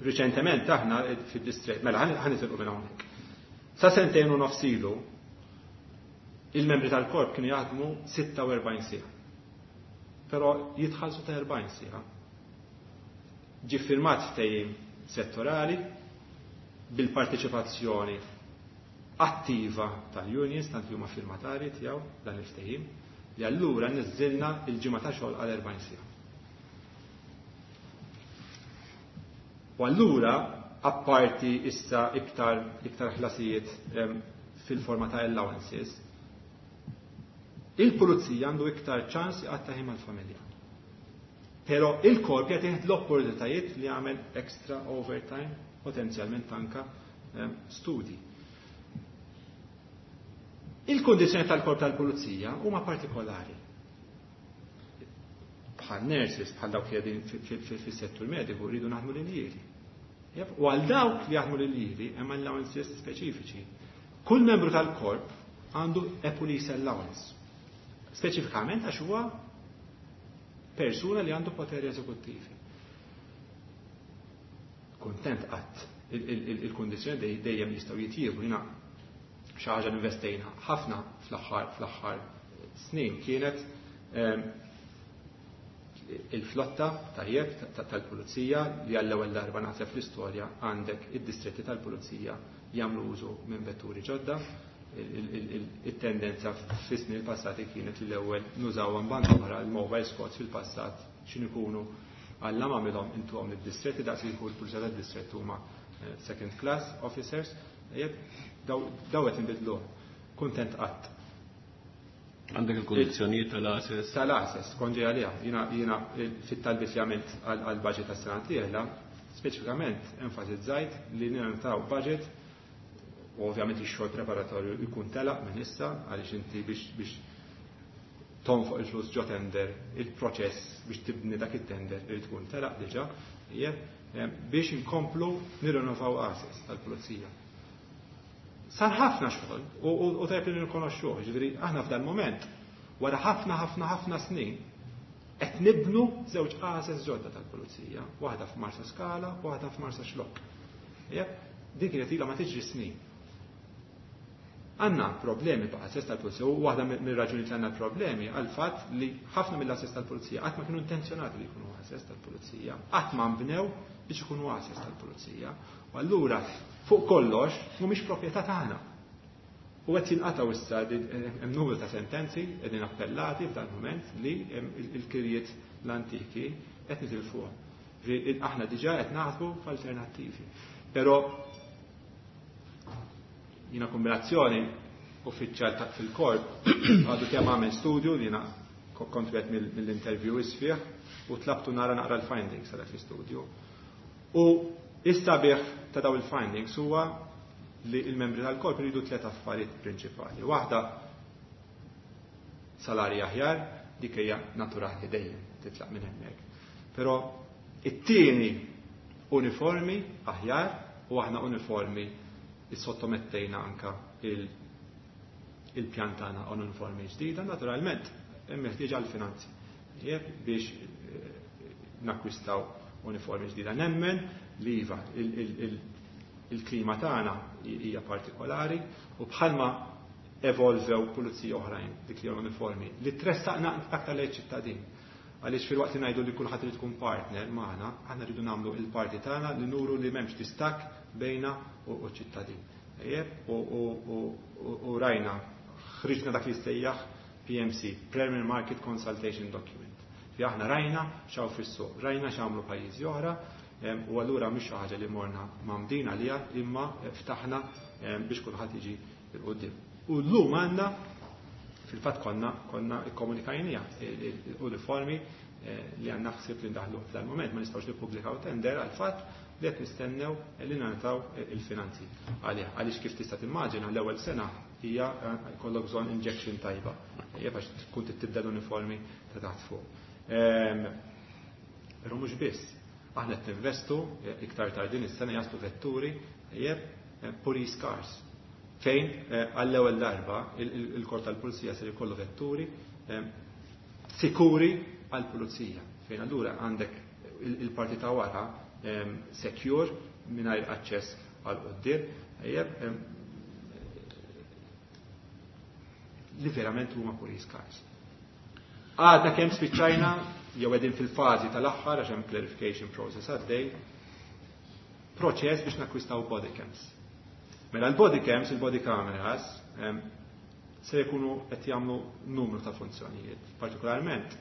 riċentement aħna fid-distret, mela ħa nitilqu minn hawnhekk. Sa sentejn u nofs ilu, il-membri tal-korp kienu jaħdmu sitta u erbgħin siegħa. Però jitħallsu ta' erbgħin siegħa. Ġi firmat ftehim settorali bil-parteċipazzjoni attiva tal-unions, tant li huma firmatari tiegħu dan il-ftehim, li allura niżżilna il-ġimgħa ta' xogħol għal erbgħin siegħa. U allura, apparti issa iktar iktar ħlasijiet fil-forma ta' allowances, il-pulizija għandu iktar ċans jqatta' ħin mal-familja. Però il-korp jagħtih l-opportunitajiet li jagħmel extra overtime, potenzjalment anka studi. Il-kondizjoni tal-korp tal-pulizija huma partikolari. Bħal nurses, bħal dawk li qegħdin fis-settur mediku, rridu naħdmu l-iljieli. U għal dawk li jaħdmu l-iljieli hemm allowances speċifiċi. Kull membru tal-korp għandu a police allowance. Speċifikament għax huwa persuna li għandu poteri eżekuttivi. Kontent qatt, il-kondizjoni dejjem jistgħu jitjiebu. Jiena xi ħaġa investejna ħafna fl-aħħar fl-aħħar snin kienet ehm, il-flotta, tajjeb, tal-pulizija, li għall-ewwel darba naħseb fl-istorja għandek id-distretti tal-pulizija jagħmlu użu minn vetturi ġodda. Il-tendenza fis-snin il-passati kienet li l-ewwel nużaw band oħra, il-mobile squads fil-passat x'in ikunu għalla ma għamilhom intuhom id-distretti daqs li jkun il-pulizija tad-distrett huma eh, second class officers. Daw qed inbidlu. Kuntent qatt. Għandek il-kondizzjonijiet tal-għases? Tal-għases, kont ġej għaliha. Jiena jiena fit-talbiet li għamilt għal-budget tas-sena dieħla, speċifikament enfasizzajt li nagħtaw budget, u ovvjament ix-xogħol preparatorju jkun telaq minn issa, għaliex inti biex biex tonfoq il-flus ġo tender, il-proċess biex tibni dak it-tender irid tkun telaq diġà, biex inkomplu nirrinnovaw għases tal-pulizija. Sar ħafna xogħol u tajb li nirkonoxxuh, ġifieri aħna f'dan moment wara ħafna ħafna ħafna snin qed nibnu żewġ għases ġodda tal-pulizija, waħda f'Marsa Skala u waħda f'Marsa Xlokk. Din kienet ilha ma tiġri snin. Għandna problemi b'għases tal-pulizija u waħda mir-raġuni li għandna problemi għal fatt li ħafna mill-għases tal-pulizija qatt ma kienu intenzjonati li jkunu għases tal-pulizija, qatt ma nbnew biex ikunu għases tal-pulizija. U allura fuq kollox mhumiex proprjetà tagħna. U qed jinqataw issa, hemm numru ta' sentenzi qegħdin appellati f'dan mument li il-kirjiet l-antiki qed nitilfuhom. Aħna diġà qed naħsbu f'alternattivi. Però jiena kombinazzjoni uffiċjal ta' fil-korp għadu kemm għamel studju li jiena kont wieħed mill-interviewees fih u tlabtu nara naqra l-findings ta' dak l-istudju. U is-sabiħ ta' daw il-findings huwa li il-membri tal-korp iridu tliet affarijiet prinċipali. Waħda, salarji aħjar, dik hija naturali, dejjem titlaq minn hemmhekk. Però it-tieni, uniformi aħjar, u aħna uniformi issottomettejna anka il-pjan tagħna għal uniformi ġdida, naturalment hemm meħtieġa għall-finanzi biex eh, nakkwistaw uniformi ġdida. Nemmen li iva, il-klima tagħna hija partikolari u bħalma evolvew pulizija oħrajn dik li uniformi li tressaqna aktar lejn ċittadin. Għaliex filwaqt li ngħidu li kulħadd irid tkun partner magħna, aħna rridu nagħmlu il-parti tagħna li nuru li m'hemmx distakk bejna u ċittadin. U rajna, ħriġna dak li jissejjaħ P M C, Premier Market Consultation Document. Fi aħna rajna x'hawn fis-suq, rajna x'għamlu pajjiżi oħra, u allura mhix xi ħaġa li morna mamdin għalija, imma ftaħna biex kulħadd jiġi 'il quddiem. U llum għandna, fil-fatt konna konna ikkomunikajnija l-uniformi eh, li għandna ħsieb li ndaħlu f'dal-moment. Ma nistgħux nippubblikaw tender għal fatt li qed nistennew li nagħtaw il-finanzi għalih, għaliex kif tista' timmaġina, l-ewwel sena hija eh, jkollok bżonn injection tajba. Hija għax tkun tibda l-uniformi ta' taħt fuq. Ehm, però mhux biss, aħna qed ninvestu, eh, iktar tard din is-sena jaslu vetturi, jeb, police cars, fejn għall-ewwel darba il-korp tal-pulizija se jkollu vetturi sikuri għall-pulizija. Fejn allura għandek il-parti ta' wara secure mingħajr aċċess għal quddiem, li verament huma police cars. Għadna kemm spiċċajna, jew qegħdin fil-fażi tal-aħħar, għax hemm clarification process għaddej, proċess biex nakkwistaw body cams. Mela l-body cams, il-body cameras, se jkunu qed jagħmlu numru ta' funzjonijiet. Partikolarment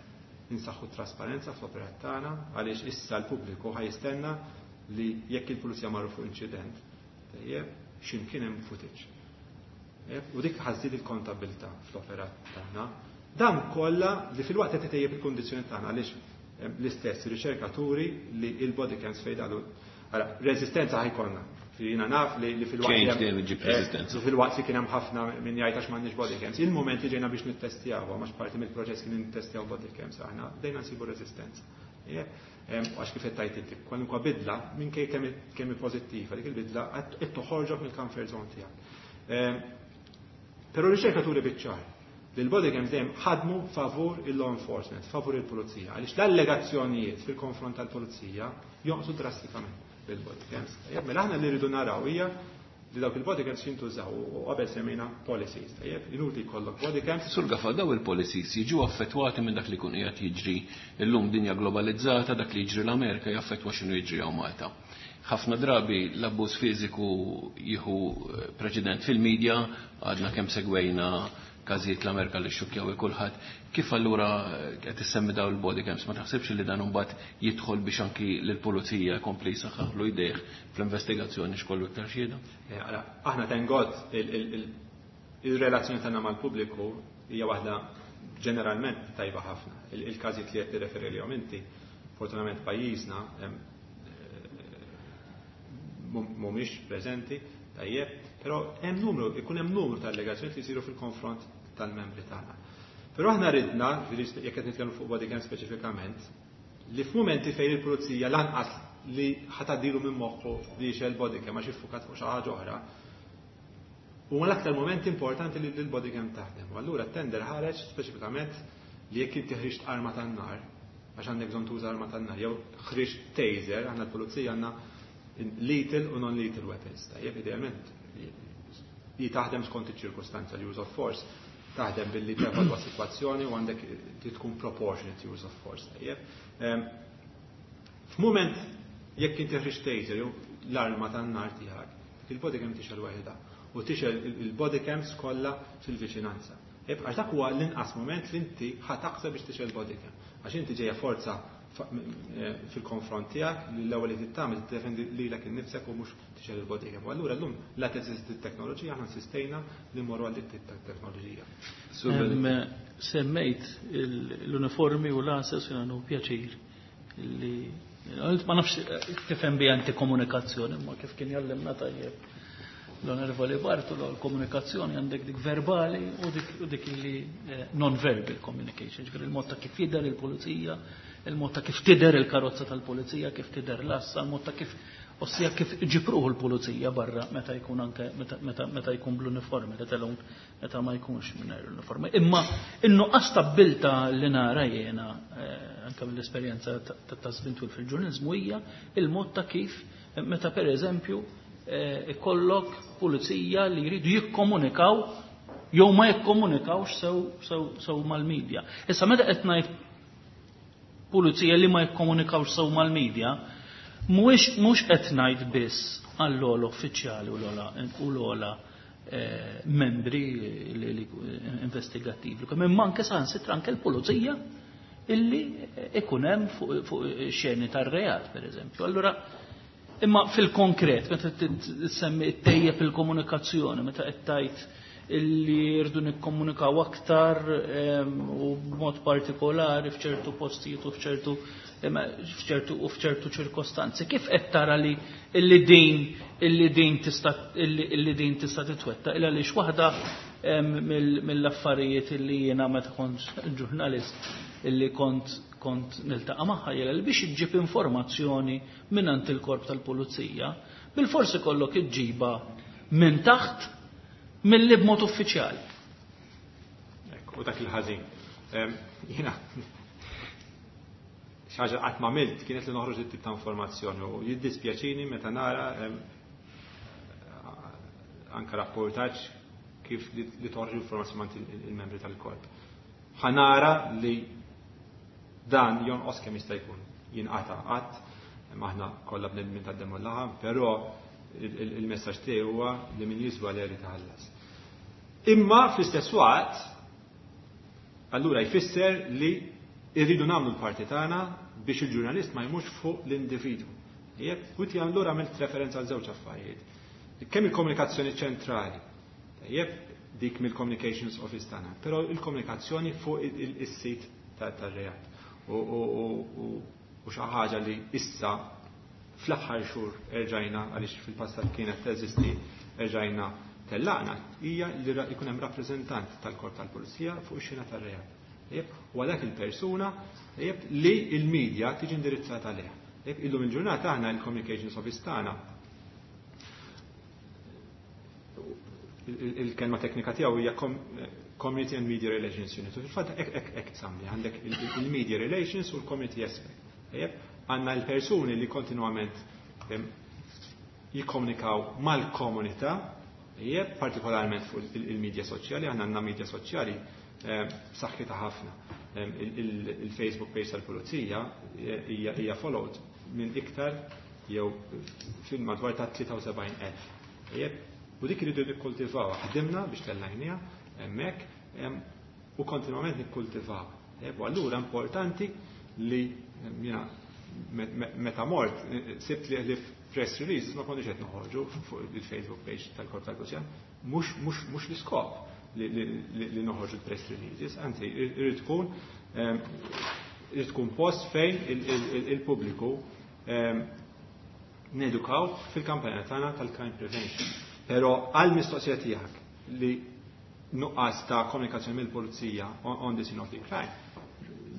insaħħu trasparenza fl-operat tagħna, għaliex issa l-pubbliku ħa jistenna li jekk il-pulizija marru fuq inċident, tajjeb, x'imkien hemm footage. U dik ħa żżid il-kontabilità fl-operat tagħna. Dan kollha li filwaqt qed itejjeb il-kundizzjoni tagħna, għaliex l-istess riċerkaturi li il-body cams fejdalu. Reżistenza ħa jkollna. Jiena naf li filwaqt li filwaqt li kien hemm ħafna min jgħid għax m'għandniex body cams. Il-moment li ġejna biex nittestjaw, għax parti mill-proċess kien nittestjaw body cams aħna, bdejna nsibu reżistenza. Għax kif qed tgħid inti, kwalunkwe bidla, minkejja kemm pożittiva, dik il-bidla qed toħorġok mill-comfort zone tiegħek. Però riċerkaturi biċ-ċar li l-body cams dejjem ħadmu favur il-law enforcement, favur il-pulizija, għaliex l-allegazzjonijiet fil-konfront tal-pulizija jonqsu drastikament bil-body cams. Mela aħna li rridu naraw hija li dawk il-body cams jintużaw, u qabel semmejna policies, tajjeb, inutli jkollok body cams. Sur Gafa, daw il-policies jiġu affettwati minn dak li kun qiegħed jiġri illum, dinja globalizzata, dak li jiġri l-Amerika jaffettwa x'inhu jiġri hawn Malta. Ħafna drabi l-abbuż fiżiku jieħu eh, preċedent fil-medja, għadna kemm segwejna każijiet l-Amerika li xukjaw kulħadd. Kif allura eh, qed issemmi daw il-body cams, ma taħsibx li dan imbagħad jidħol biex anki lill-pulizija jkompli jsaħħaħlu jdejh fl-investigazzjoni x'kollu iktar xhieda? Eh, aħna, thank God, il-relazzjoni tagħna mal-pubbliku hija waħda ġeneralment tajba ħafna. Il-każijiet li qed tirreferi lihom inti, fortunatament pajjiżna eh, mhumiex preżenti, tajjeb, però hemm numru, ikun hemm numru ta' allegazzjoni li jsiru fil-konfront tal-membri tagħna. Però aħna ridna, jekk qed nitkellmu fuq body cam speċifikament, li f'mumenti fejn il-pulizija lanqas li ħa tgħaddilu minn moħħu li jixgħel body cam għax iffukat fuq xi ħaġa oħra, u l-aktar moment importanti li l-body cam taħdem. U allura t-tender ħareġ speċifikament li jekk inti ħriġt arma tan-nar, għax għandek bżonn tuża arma tan-nar, jew ħriġt taser, aħna l-pulizija għandna lethal u non-lethal weapons. Tajjeb, idealment li taħdem skont iċ-ċirkustanza, l-use of force taħdem billi tevalwa situazzjoni u għandek li tkun proportionate use of force. Tajjeb. F'mument jekk inti ħriġt taser jew l-arma tan-nar tiegħek, il-body cam tixgħel waħedha u tixgħel il-body cams kollha fil-viċinanza. Għax dak huwa l-inqas moment li inti ħa taħseb biex tixgħel body cam. Għax inti ġejja forza fil-konfront tiegħek li l-ewwel li tagħmel tiddefendi lilek innifsek u mhux tixgħel il-body cam. U allura llum la teżisti t-teknoloġija, aħna insistejna li mmorru għal dik teknoloġija. Semmejt l-uniformi u l-għases, jiena nieħu pjaċir li ma nafx tifhem bi anti komunikazzjoni, ma kif kien jallimna tajjeb l-Onorevoli Bartolo, l-komunikazzjoni għandek dik verbali u dik, u dik li non-verbal communication, ġifieri il-mod ta' kif jidher il-pulizija, il-mod ta' kif tidher il-karozza tal-pulizija, kif tidher l-assa, il-mod ta' kif ossia kif ġipruħu l-pulizija barra meta jkun anke meta, meta, meta jkun bl-uniformi, let alone meta ma jkunx mingħajr l-uniformi. Imma in-nuqqas ta' abbiltà li nara jiena eh, anke mill-esperjenza ta' żmien twil fil-ġurnaliżmu hija il-mod ta' kif meta pereżempju eh, ikollok pulizija li jridu jikkomunikaw jew ma jikkomunikawx sew sew sew mal-medja. Issa meta qed ngħid pulizija li ma jikkomunikawx sew mal-medja, mhuwiex mhux qed ngħid biss għall-ogħla uffiċjali u l-ogħla u l-ogħla eh, membri li, li, investigattivi. Imma anke saħansitra anke l-pulizija illi ikun hemm fuq fu xeni tar-reat, pereżempju. Allura, imma fil-konkret, meta tsemmi ttejjeb il-komunikazzjoni, meta qed tgħid illi rridu nikkomunikaw aktar u b'mod partikolari f'ċertu postijiet u f'ċertu f'ċertu u f'ċertu ċirkostanzi. Kif qed tara li illi din illi din tista' illi din tista' titwettaq illa għaliex waħda mill-affarijiet illi jiena meta kont ġurnalist illi kont kont niltaqa' magħha hija li biex iġġib informazzjoni mingħand il-korp tal-pulizija, bil-forsi kollok iġġiba minn taħt milli b'mod uffiċjali. Ekk, u dak il-ħażin. Jiena xi ħaġa qatt ma għamilt kienet li noħroġ it-tip ta' informazzjoni u jiddispjaċini meta nara anka rapportaġġ kif li toħroġ informazzjoni mant il-membri tal-korp. Ħa nara li dan jonqos kemm jista' jkun jinqata' qatt, aħna kollha bnedmin tad-demm u l-laħam, però il-messaġġ tiegħi huwa li min jiswa li jrid iħallas. Imma fl-istess waqt, allura jfisser li irridu nagħmlu l-parti tagħna biex il-ġurnalist ma jmurx fuq l-individwu. Jekk, u ti allura għamilt referenza għal żewġ affarijiet. Kemm il-komunikazzjoni ċentrali, tajjeb, dik mill-communications office tagħna, però il-komunikazzjoni fuq is-sit tar-reat. U xi ħaġa li issa fl-aħħar xhur erġajna, għaliex fil-passat kienet teżisti, erġajna tellaqna, hija li jkun hemm rappreżentant tal-korp tal-pulizija fuq ix-xena tar-reat. U għalhekk il-persuna li il-medja tiġi indirizzata għaliha. Illum il-ġurnata aħna il-communications office tagħna il-kelma teknika tiegħu hija Community and Media Relations Unit. U fil-fatt hekk hekk tsammi għandek il-media relations u l-community aspect. Għandna l-persuni li kontinwament jikkomunikaw mal-komunità, partikolarment fuq il-media soċjali, aħna għandna media soċjali b'saħħitha ħafna. Il-Facebook page tal-Pulizija hija followed minn iktar jew fil-madwar ta' tlieta u sebgħin elf. U dik iridu nikkultivawha. Ħdimna biex tellajniha hemmhekk u kontinwament nikkultivawha. U allura importanti li jiena meta mort sibt li li press releases ma konniex qed noħorġu fuq il-Facebook page tal-Korp tal-Pulizija, mhux l-iskop li noħorġu l-press releases, anzi irid tkun irid tkun post fejn il-pubbliku nedukaw fil-kampanja tagħna tal-crime prevention. Però għal mistoqsija tiegħek li nuqqas ta' komunikazzjoni mill-pulizija on the scene of the crime,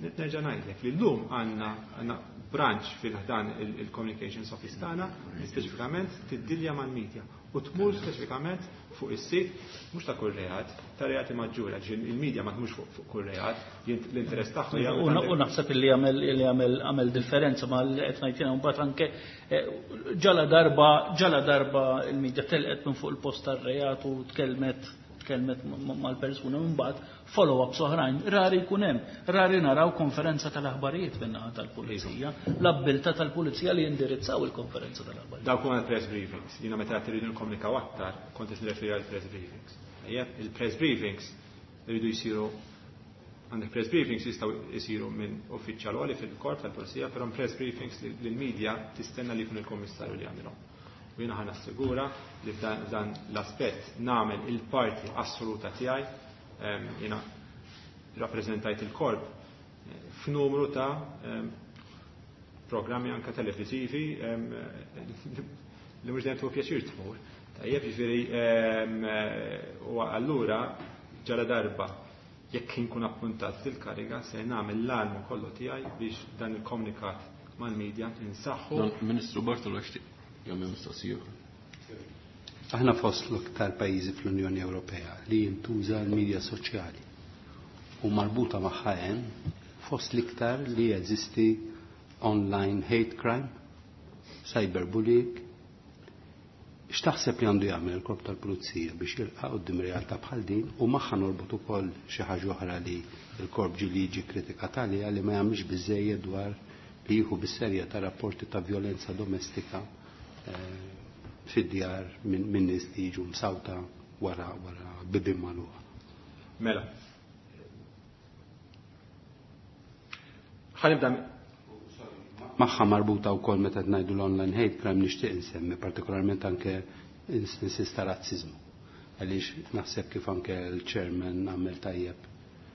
nerġa' ngħidlek li llum għandna għandna branch fil-ħdan il-communications office tagħna li speċifikament tiddilja mal-media u tmur speċifikament fuq is-sit mhux ta' kull reat, ta' reati maġġuri, għax il-media ma tmurx fuq kull reat, l-interess tagħha hija U naħseb li għamel li għamel għamel differenza ma li qed ngħid jiena mbagħad anke ġala darba ġala darba il-media telqet minn fuq il-post tar-reat u tkellmet tkellmet mal-persuna minn mbagħad follow-ups oħrajn rari jkun hemm, rari naraw konferenza tal-aħbarijiet min-naħa tal-pulizija, l-abbiltà tal-pulizija li jindirizzaw il-konferenza tal-aħbarijiet. Dawk huma l-press briefings. Jiena meta qed irridu nikkomunikaw aktar, kont qed nirreferi għall press briefings. Ejjeb, il-press briefings iridu jsiru Għandek press briefings jistgħu jsiru minn uffiċjal għoli fil-korp tal-pulizija, però press briefings li l-media tistenna li jkun il-kummissarju li jagħmilhom. U jiena ħa nassigura li f'dan l-aspett nagħmel il-parti assoluta tiegħi. Jiena rappreżentajt il-korp f'numru ta' programmi anke televiżivi li mhux dejjem tieħu pjaċir tmur. Tajjeb, jiġifieri u allura ġara darba jekk inkun appuntat fil-kariga se nagħmel l-almu kollu tiegħi biex dan il-komunikat mal-medja insaħħu. Ministru Bartolo jixtieq jagħmel mistoqsija. Aħna fost l-iktar pajjiżi fl-Unjoni Ewropea li jintuża l-medja soċjali u marbuta magħha hemm fost l-iktar li jeżisti online hate crime, cyberbullying. X'taħseb li għandu jagħmel il-korp tal-pulizija biex jilqa' quddiem realtà bħal din u magħha norbot ukoll xi ħaġa oħra li l-korp ġie li jiġi kritikat għaliha li ma jagħmilx biżejjed dwar li jieħu bis-serjetà rapporti ta' vjolenza domestika fid-djar minn nies li jiġu msawta wara wara bibien magħluqa. Mela. Ħanibda magħha marbuta wkoll meta ngħidu l-online hate crime nixtieq insemmi partikolarment anke instances ta' razziżmu. Għaliex naħseb kif anke l-chairman għamel tajjeb.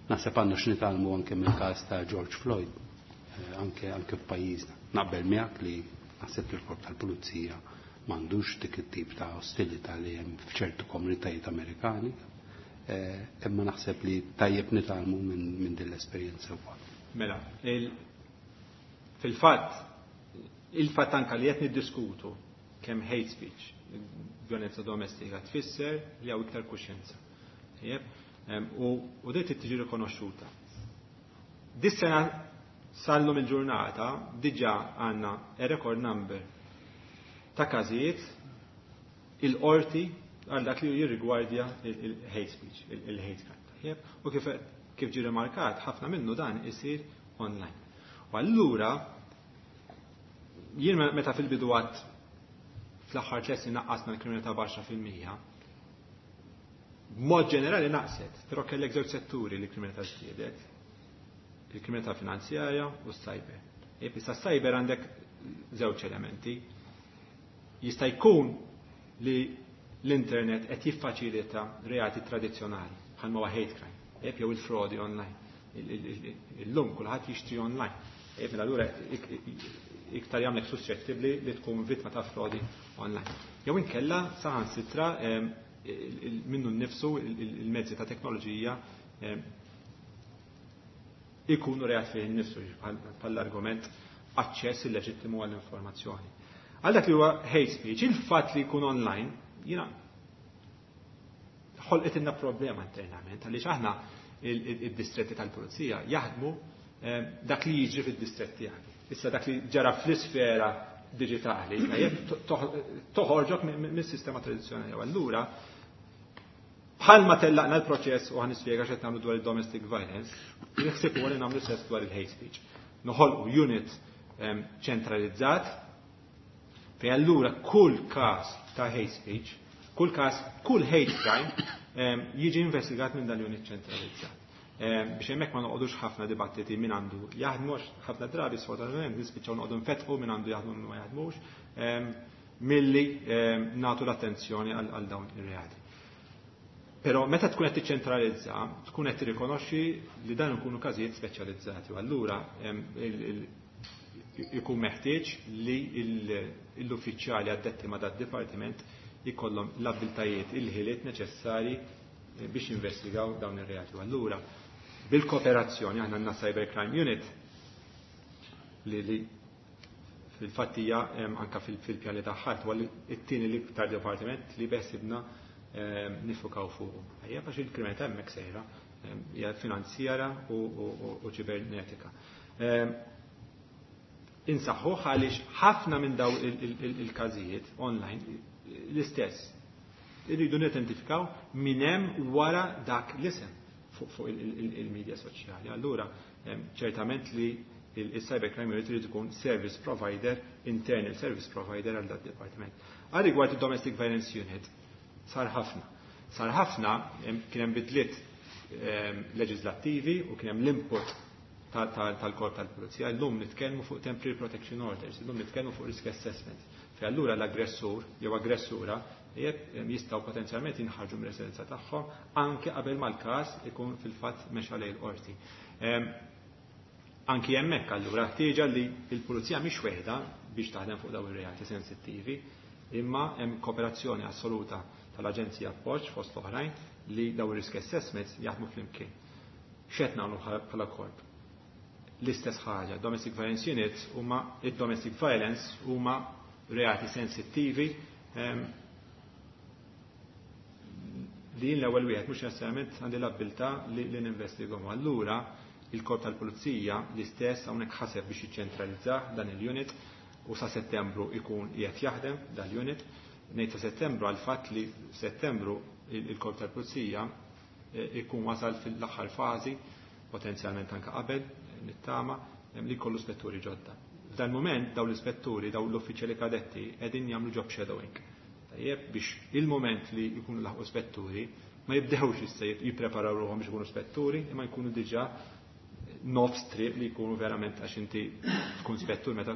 Naħseb għandna x'nitgħallmu anke mill-każ ta' George Floyd, anke anke f'pajjiżna. Naqbel miegħek li naħseb li l-korp tal-pulizija m'għandux dik it-tip ta' ostilità li hemm f'ċertu komunitajiet Amerikani, imma naħseb li tajjeb nitgħallmu minn din l-esperjenza wkoll. Mela, fil-fatt, il-fatt anka li qed niddiskutu kemm hate speech, violenza domestika tfisser li hawn iktar kuxjenza. U din trid tiġi rikonoxxuta. Dis-sena sal-lum il-ġurnata diġà għandna a record number ta' każijiet il-qorti għal dak li jirrigwardja il-hate speech, il-hate crime. U kif kif ġie rimarkat, ħafna minnu dan isir online. U allura jien meta fil-bidu għad fl-aħħar tliet snin naqqasna l-kriminalità b'għaxra fil-mija, b'mod ġenerali naqset, però kellek żewġ setturi li l-kriminalità żdiedet, il-kriminalità finanzjarja u s-cyber. Issa s-cyber għandek żewġ elementi. Jista' jkun li l-internet qed jiffaċilita reati tradizzjonali bħalma huwa hate crime, jew il-frodi online. Illum kulħadd jixtri online. Mela allura iktar jagħmlek suscettibbli li tkun vittma ta' frodi online. Jew inkella saħansitra minnu nnifsu il-mezzi ta' teknoloġija ikunu reat fih innifsu bħall-argument aċċess illeġittimu għall-informazzjoni. Għal dak li huwa hate speech, il-fatt li jkun online, jiena ħolqet ilna problema internament, għaliex aħna id-distretti tal-pulizija jaħdmu dak li jiġri fid-distretti tiegħek. Issa dak li ġara fl-isfera digitali, toħorġok mis-sistema tradizzjonali. U allura bħalma tellaqna l-proċess u ħanispjega x'qed nagħmlu dwar il-domestic violence, naħseb huwa li nagħmlu stess dwar il-hate speech. Noħolqu unit ċentralizzat fejn allura kull każ ta' hate speech, kull każ, kull hate crime jiġi investigat minn dan l-unit ċentralizzat. Biex hemmhekk ma noqogħdux ħafna dibattiti min għandu jaħdmu, ħafna drabi sfortunatament nispiċċaw noqogħdu nfetħu min għandu jaħdmu min ma jaħdmux, milli nagħtu l-attenzjoni għal dawn ir-reati. Però meta tkun qed tiċċentralizza, tkun qed tirrikonoxxi li dan ikunu każijiet speċjalizzati u allura ikun meħtieġ li l-uffiċjali addetti ma' dad-dipartiment jkollhom l-abbiltajiet, il-ħiliet neċessari biex jinvestigaw dawn ir-reati. U allura bil-kooperazzjoni aħna għandna Cyber Crime Unit li li fil-fatt hija anka fil-pjani tagħha huwa it-tieni l-iktar dipartiment li beħsibna nifukaw fuq. Ejja għax il-kriminalità hemmhekk sejra, hija finanzjara u ċibernetika. Insaħħuh għaliex ħafna minn daw il-każijiet online l-istess. Irridu nidentifikaw min hemm wara dak l-isem fuq il-medja soċjali. Allura, ċertament li il-Cyber Crime Unit irid ikun service provider, internal service provider għal dat department. Għal rigward il-Domestic Violence Unit, sar ħafna. Sar ħafna, kien hemm bidliet leġislattivi u kien hemm l-input tal-korp tal-pulizija. Illum nitkellmu fuq temporary protection orders, illum nitkellmu fuq risk assessment. Fejn allura l-aggressur jew aggressura jistgħu potenzjalment jinħarġu mir-residenza tagħhom anke qabel ma l-każ ikun fil-fatt mexa lejn il-qorti. Anki hemmhekk allura ħtieġa li l-pulizija mhix weħda biex taħdem fuq dawn ir-reati sensittivi, imma hemm kooperazzjoni assoluta tal-Aġenzija Appoġġ fost l-oħrajn li dawn ir-risk assessments jaħdmu flimkien. X'qed nagħmlu bħala korp? L-istess ħaġa, domestic violence units huma id-domestic violence huma reati sensittivi li jien l-ewwel wieħed mhux neċessarjament għandi l-abbiltà li ninvestigahom. Allura il-korp tal-pulizija l-istess hawnhekk ħaseb biex jiċċentralizzah dan il-unit u sa Settembru ikun qiegħed jaħdem dal-unit. Ngħid sa Settembru għal fatt li Settembru il-korp tal-pulizija ikun wasal fil-aħħar fażi, potenzjalment anke qabel, nittama, li jkollu spetturi ġodda. F'dan moment dawn l-ispetturi, dawn l-uffiċjali kadetti qegħdin jagħmlu job shadowing. Tajjeb biex il-moment li jkunu laħqu spetturi ma jibdewx issa jippreparaw ruħhom biex ikunu spetturi, imma jkunu diġà nofs triq li jkunu verament, għax inti tkun spettur meta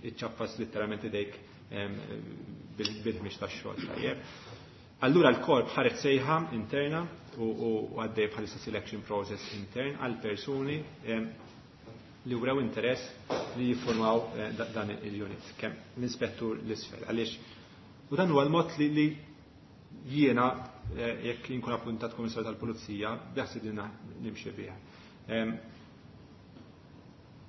iċċappas letteralment idejk bil-ħmix tax-xogħol. Tajjeb. Allura l-korp ħareġ sejħa interna u għaddej bħalissa selection process intern għal persuni li wrew interess li jiffurmaw dan il-unit, kemm l-inspettur l-isfel. Għaliex, u dan huwa l-mod li jiena jekk inkun appuntat Kummissarju tal-Pulizija beħsibni nimxi bih.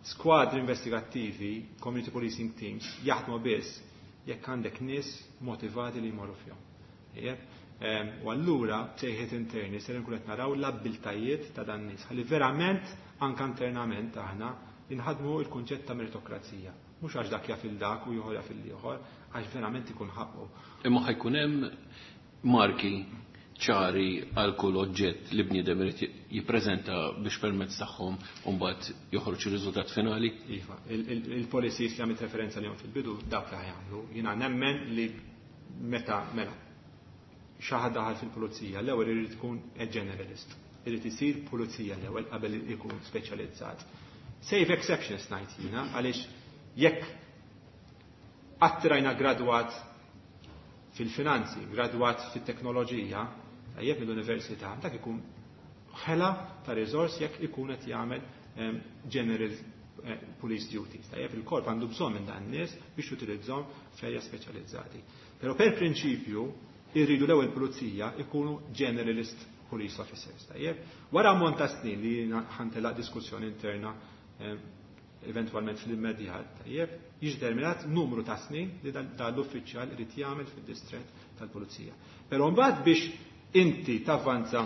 Skwadri investigattivi, community policing teams, jaħdmu biss jekk għandek nies motivati li jmorru fihom. U allura sejħiet interni ser nkun qed naraw l-abbiltajiet ta' dan nies ħalli verament anke internament aħna inħadmu il-kunċett ta' meritokrazija. Mhux għax dak jaf il dak u ieħor jaf il ieħor, għax verament ikun ħaqqu. Imma ħajkun hemm marki ċari għal kull oġġett li bniedem irid jippreżenta biex permezz tagħhom u mbagħad joħroġ ir-riżultat finali? Iva, il-policies li għamilt referenza lihom fil-bidu dawk li ħajamlu. Jiena nemmen li meta mela xi ħadd daħal fil-pulizija l-ewwel irid ikun a generalist. Irid isir pulizija l-ewwel qabel ikun speċjalizzat. Save exceptions ngħid jiena, għaliex jekk attirajna gradwat fil-finanzi, gradwat fit-teknoloġija, tajjeb mill-università, dak ikun ħela ta' riżors jekk ikun qed jagħmel general police duties. Tajjeb il-korp għandu bżonn minn dan nies biex utilizzhom f'erja speċjalizzati. Però per prinċipju irridu l-ewwel pulizija ikunu generalist police officers. Tajjeb, wara ammont ta' snin li ħantelaq diskussjoni interna eventualment fl-immedjat, tajjeb, jiġi determinat numru ta' snin li dan l-uffiċjal irid jagħmel fid-distrett tal-pulizija. Però mbagħad biex inti tavvanza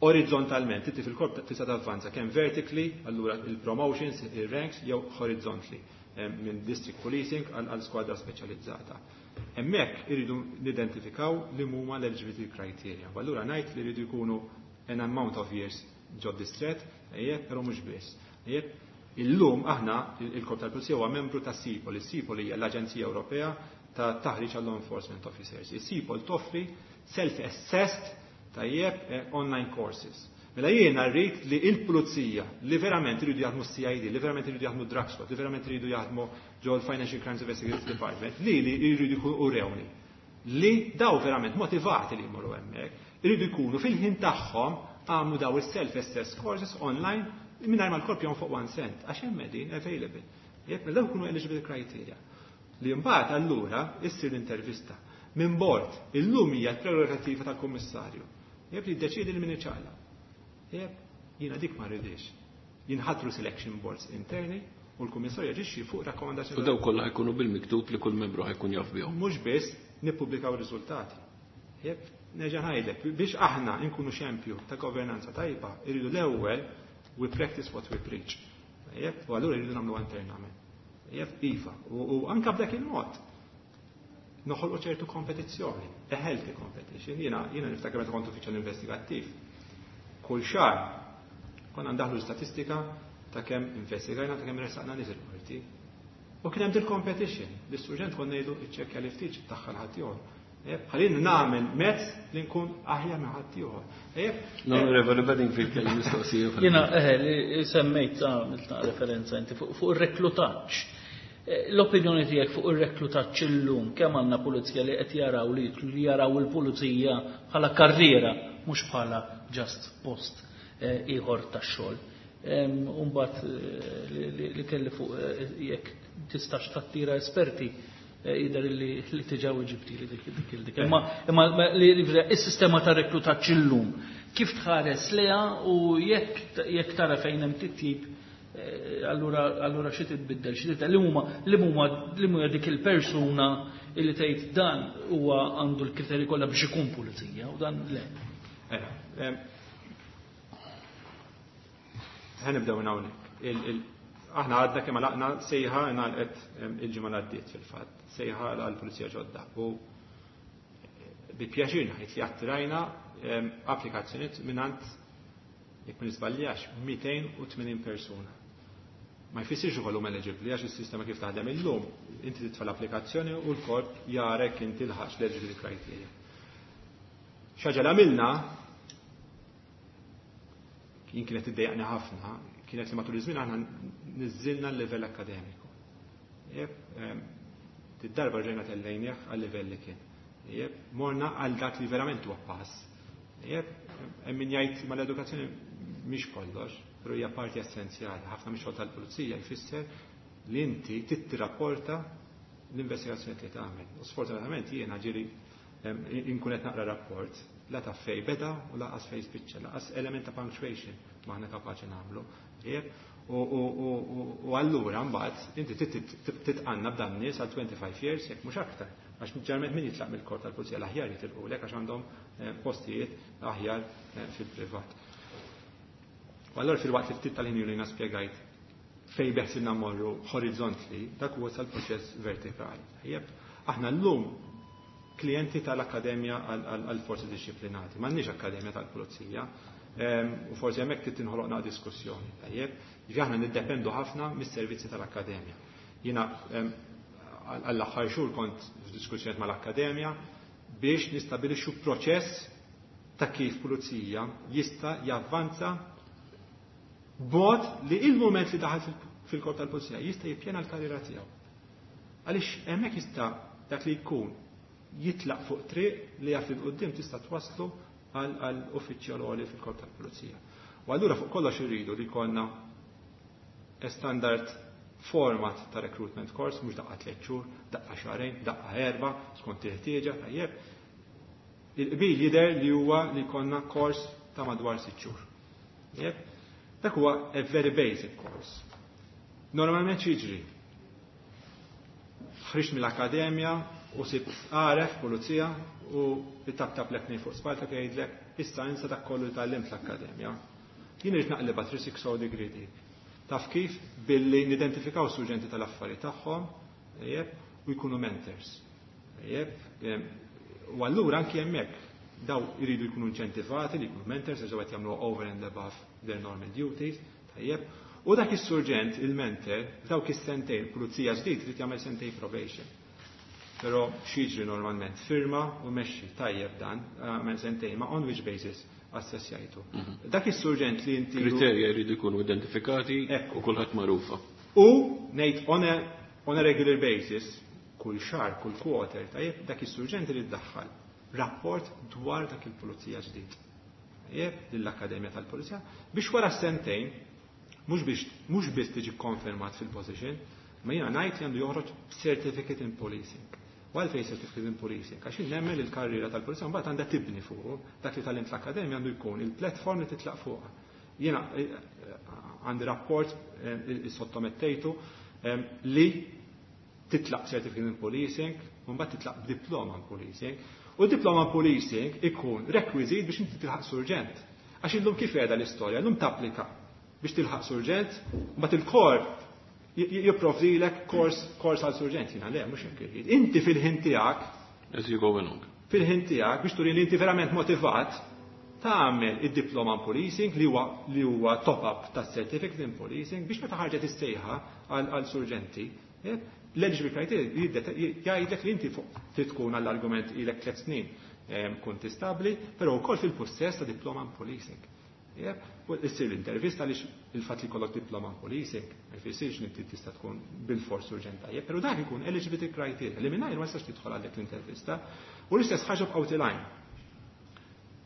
orizzontalment, inti fil-korp tista' tavvanza kemm vertically, allura il-promotions, il-ranks, jew horizontally, minn district policing għal skwadra speċjalizzata. Hemmhekk iridu nidentifikaw li huma l-eligibility criteria. U allura ngħid li jridu jkunu an amount of years ġod distret, ejjeb, però mhux biss. Ejjeb, illum aħna il-Korp tal-Pulizija huwa membru ta' SIPOL. Il-SIPOL hija l-Aġenzija Ewropea ta' Taħriġ għal Law Enforcement Officers. Il-SIPOL toffri self-assessed tajjeb online courses. Mela jiena rrid li il-pulizija li verament iridu jaħdmu C I D, li verament iridu jaħdmu drug squad, li verament iridu jaħdmu ġol Financial Crimes Investigation Department, li li jridu jkunu urewni li daw verament motivati li jmorru hemmhekk, iridu jkunu fil-ħin tagħhom għamlu daw il-self-assessed courses online mingħajr ma l-korp jonfoq one cent, għax hemm qegħdin available. Jekk mela daw jkunu eligible criteria. Li mbagħad allura issir l-intervista minn bord illum hija l-prerogativa tal-kummissarju. Jekk li jiddeċiedi li min iċaqlaq. Jekk jiena dik ma rridix. Jinħatru selection boards interni u l-kummissarju jaġixxi fuq rakkomandazzjoni. U daw kollha ħajkunu bil-miktub li kull membru ħajkun jaf bihom. Mhux biss nippubblikaw ir-riżultati. Jekk nerġa' ngħidlek biex aħna nkunu xempju ta' governanza tajba, irridu l-ewwel we practice what we preach. Jekk u allura irridu nagħmlu internament. Jekk iva, u anke b'dak il-mod noħolqu ċertu kompetizzjoni, a healthy competition. Jiena jiena niftakar meta kont uffiċjal investigattiv. Kull xahar konna ndaħlu statistika ta' kemm investigajna, ta' kemm ressaqna nies il-qorti. U kien hemm dil competition. L-istruġent konna ngħidu iċċekkja li ftit tagħha ħadd ieħor. Ħallini nagħmel mezz li nkun aħjar minn ħadd ieħor. L-Onorevoli Bedingfield kellu mistoqsija. Jiena eħe li semmejt għamilt referenza inti fuq ir-reklutaġġ. L-opinjoni tiegħek fuq ir-reklutaġġ illum kemm għandna pulizija li qed jaraw li jaraw il-pulizija bħala karriera mhux bħala just post ieħor tax-xogħol. U mbagħad li kelli fuq jekk tistax tattira esperti jidher li diġà ġibti li dik dik dik. Imma imma li is-sistema ta' reklutaġġ illum kif tħares leha u jekk jekk tara fejn hemm titjib, allura allura xi titbiddel, xi titbiddel li huma li huma li huma dik il-persuna li tgħid dan huwa għandu l-kriterji kollha biex ikun pulizija u dan le. Ħa nibdew minn hawnhekk. Aħna għadna kemm għalaqna sejħa ngħalqet il-ġimgħa li għaddiet fil-fatt, sejħa għall-pulizija ġodda. U bi pjaċir ngħid li attirajna applikazzjonijiet mingħand, jekk ma nisbaljax, mitejn u tmenin persuna. Ma jfissirx ukoll huma eligibbli għax is-sistema kif taħdem illum, inti titfa' l-applikazzjoni u l-korp jarek inti lħaqx l-eligibility criteria. Xi ħaġa li għamilna jien kienet iddejjaqni ħafna, kienet li matul iż-żmien aħna niżżilna l-livell akkademiku. Id-darba rġejna tellejnieh għal-livell li kien. Morna għal dak li verament huwa pass. Hemm min jgħid ma l-edukazzjoni mhix kollox, però hija parti essenzjali. Ħafna mix-xogħol tal-pulizija jfisser li inti tittirapporta l-investigazzjoni li tagħmel. U sfortunatament jiena ġieli inkun qed naqra rapport la ta' fej beda u laqas fej spiċċa, laqas element ta' punctuation ma aħna kapaċi nagħmlu. U allura mbagħad inti titqanna b'dan nies għal twenty-five years jekk mhux aktar. Għax ġeneralment min jitlaq mill-korp tal-pulizija l-aħjar jitilqulek għax għandhom postijiet aħjar fil-privat. U allura fil-waqt li ftit tal-ħin li jiena spjegajt fej beħsibna mmorru horizontally, dak huwa sal-proċess vertikali. Tajjeb, aħna llum klijenti tal-Akkademja għall-Forzi Disciplinati, m'għandniex Akkademja tal-Pulizija, u forsi hemmhekk trid tinħoloqna diskussjoni. Tajjeb, ġifieri aħna niddependu ħafna mis-servizzi tal-Akkademja. Jiena għall-aħħar xhur kont f'diskussjoni mal-Akkademja biex nistabilixxu proċess ta' kif pulizija jista' javvanza b'mod li il-mument li daħal fil-korp tal-pulizija jista' jippjana l-karriera tiegħu. Għaliex hemmhekk jista' dak li jkun jitlaq fuq triq li jaf li quddiem tista' twasslu għal uffiċjal għoli fil-korp tal-pulizija. U allura fuq kollox irridu li jkollna standard format ta' recruitment course, mhux daqqa tliet xhur, daqqa xahrejn, daqqa erba', skont il-ħtieġa, tajjeb. Il-qbil jidher li huwa li jkollna course ta' madwar sitt xhur. Tajjeb. Dak huwa a very basic course. Normalment x'jiġri? Ħriġt mill-akkademja u sib għaref pulizija u tap-tap lek fuq spalta jgħidlek issa insa dak kollu li tgħallimt l-akkademja. Jien irid naqlibha three sixty degree dik. Taf kif? Billi nidentifikaw suġġenti tal-affarijiet tagħhom, tajjeb, u jkunu mentors. Tajjeb, u allura anki hemmhekk daw iridu jkunu inċentivati li jkunu mentors għax qed jagħmlu over and above their normal duties, tajjeb. U dak is-surġent, il-mentor, dawk is-sentejn, pulizija ġdid irid jagħmel sentejn probation. Però x'jiġri normalment? Firma u mexxi tajjeb dan, għamel sentejn, ma on which basis assessjajtu. Dak is-surġent li inti Kriterja jridu jkunu identifikati u kulħadd magħrufa. U ngħid on a, on a regular basis, kull xahar, kull quarter, tajjeb, dak is-surġent irid daħħal rapport dwar dak il-pulizija ġdid. Tajjeb, lill-Akkademja tal-Pulizija, biex wara sentejn, mhux biex, mhux biss tiġi konfermat fil-position, ma jiena ngħid li għandu joħroġ certificate in policing. U għalfejn certificate in policing? Għax nemmen li l-karriera tal-pulizija mbagħad għandha tibni fuq, dak li tgħallimt l-akkademja għandu jkun il-platform li titlaq fuqha. Jiena għandi rapport sottomettejtu li titlaq certificate in policing, u mbagħad titlaq diploma in policing. U diploma in policing ikun rekwiżit biex inti tilħaq surġent. Għax illum kif qiegħda l-istorja, illum tapplika biex tilħaq surġent, u mbagħad il-korp jipprovdilek kors, kors għal surġent. Jiena le, mhux hekk irrid. Inti fil-ħin tiegħek, As you go along. Fil-ħin tiegħek biex turi li inti verament motivat, tagħmel id-diploma in policing li huwa li huwa top-up tas certificate in policing biex meta ħarġet is-sejħa għal surġenti L-eligibility criteria jgħidlek li inti trid tkun għall-argument ilek tliet snin kuntistabbli, però wkoll fil-pussess ta' diploma in policing. U issir l-intervista għaliex il-fatt li jkollok diploma in policing ma jfissirx li inti tista' tkun bil-fors urġent tajjeb, però dak ikun eligibility criteria li mingħajr ma tistax tidħol għal dik l-intervista. U l-istess ħaġa b'qawti line.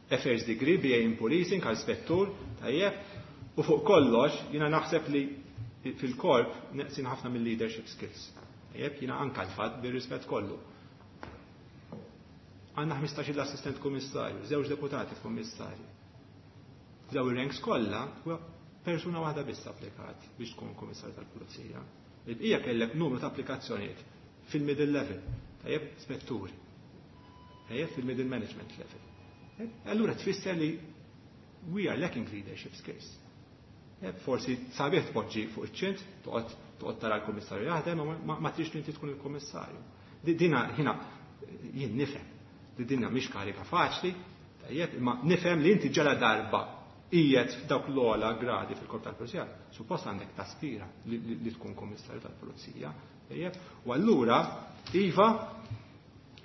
A first degree, B A in policing, għal spettur, tajjeb, u fuq kollox jiena naħseb li fil-korp neqsin ħafna mill-leadership skills. Tajjeb, jiena anka l-fatt bir-rispett kollu. Għandna ħmistax-il assistent kummissarju, żewġ deputati kummissarju. Daw ir-ranks kollha persuna waħda biss applikat biex tkun kummissarju tal-Pulizija. Il-bqija kellek numru ta' applikazzjonijiet fil-middle level, tajjeb, spetturi. Tajjeb, fil-middle management level. Allura tfisser li we are lacking leadership skills. Forsi sabiħ tpoġġi fuq iċ-ċint, toqgħod toqgħod tara l-kummissarju jaħdem, ma, ma trix li inti tkun il-kummissarju. Dina ħina jien nifhem li dinna mhix karika faċli, tajjeb, imma nifhem li inti ġala darba qiegħed f'dawk l-ogħla gradi fil-korp tal-Pulizija, suppost għandek taspira li, li, li tkun kummissarju tal-Pulizija, tajjeb, u allura iva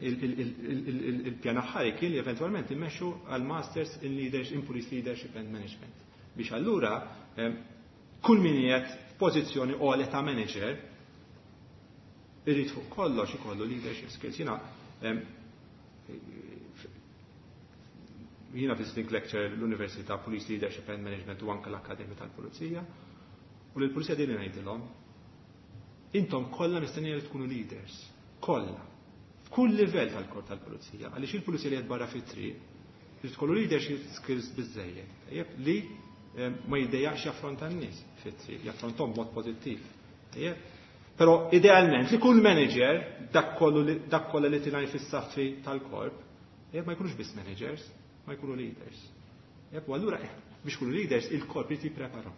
il-pjan aħħari kien li eventwalment immexxu għal Masters in Leadership, in Police Leadership and Management. Biex allura kull min qiegħed f'pożizzjoni ogħla ta' manager irid fuq kollox ikollu leadership skills. Jiena jiena visiting lecture l-Università Police Leadership and Management u anke l-Akkademja tal-Pulizija, u lill-Pulizija din ngħidilhom, intom kollha mistennija li tkunu leaders, kollha, f'kull livell tal-korp tal-Pulizija, għaliex il-Pulizija li qed barra fit-triq li tkollu leadership skills biżejjed, tajjeb, li ma jiddejjaqx jaffronta n-nies fit-triq, jaffronthom b'mod pożittiv. Tajjeb? Però idealment li kull manager dak kollu li, dak kollha li tilgħin fis-saffi tal-korp, tajjeb, ma jkunux biss managers, ma jkunu leaders. Tajjeb, u allura biex ikunu leaders il-korp irid jippreparahom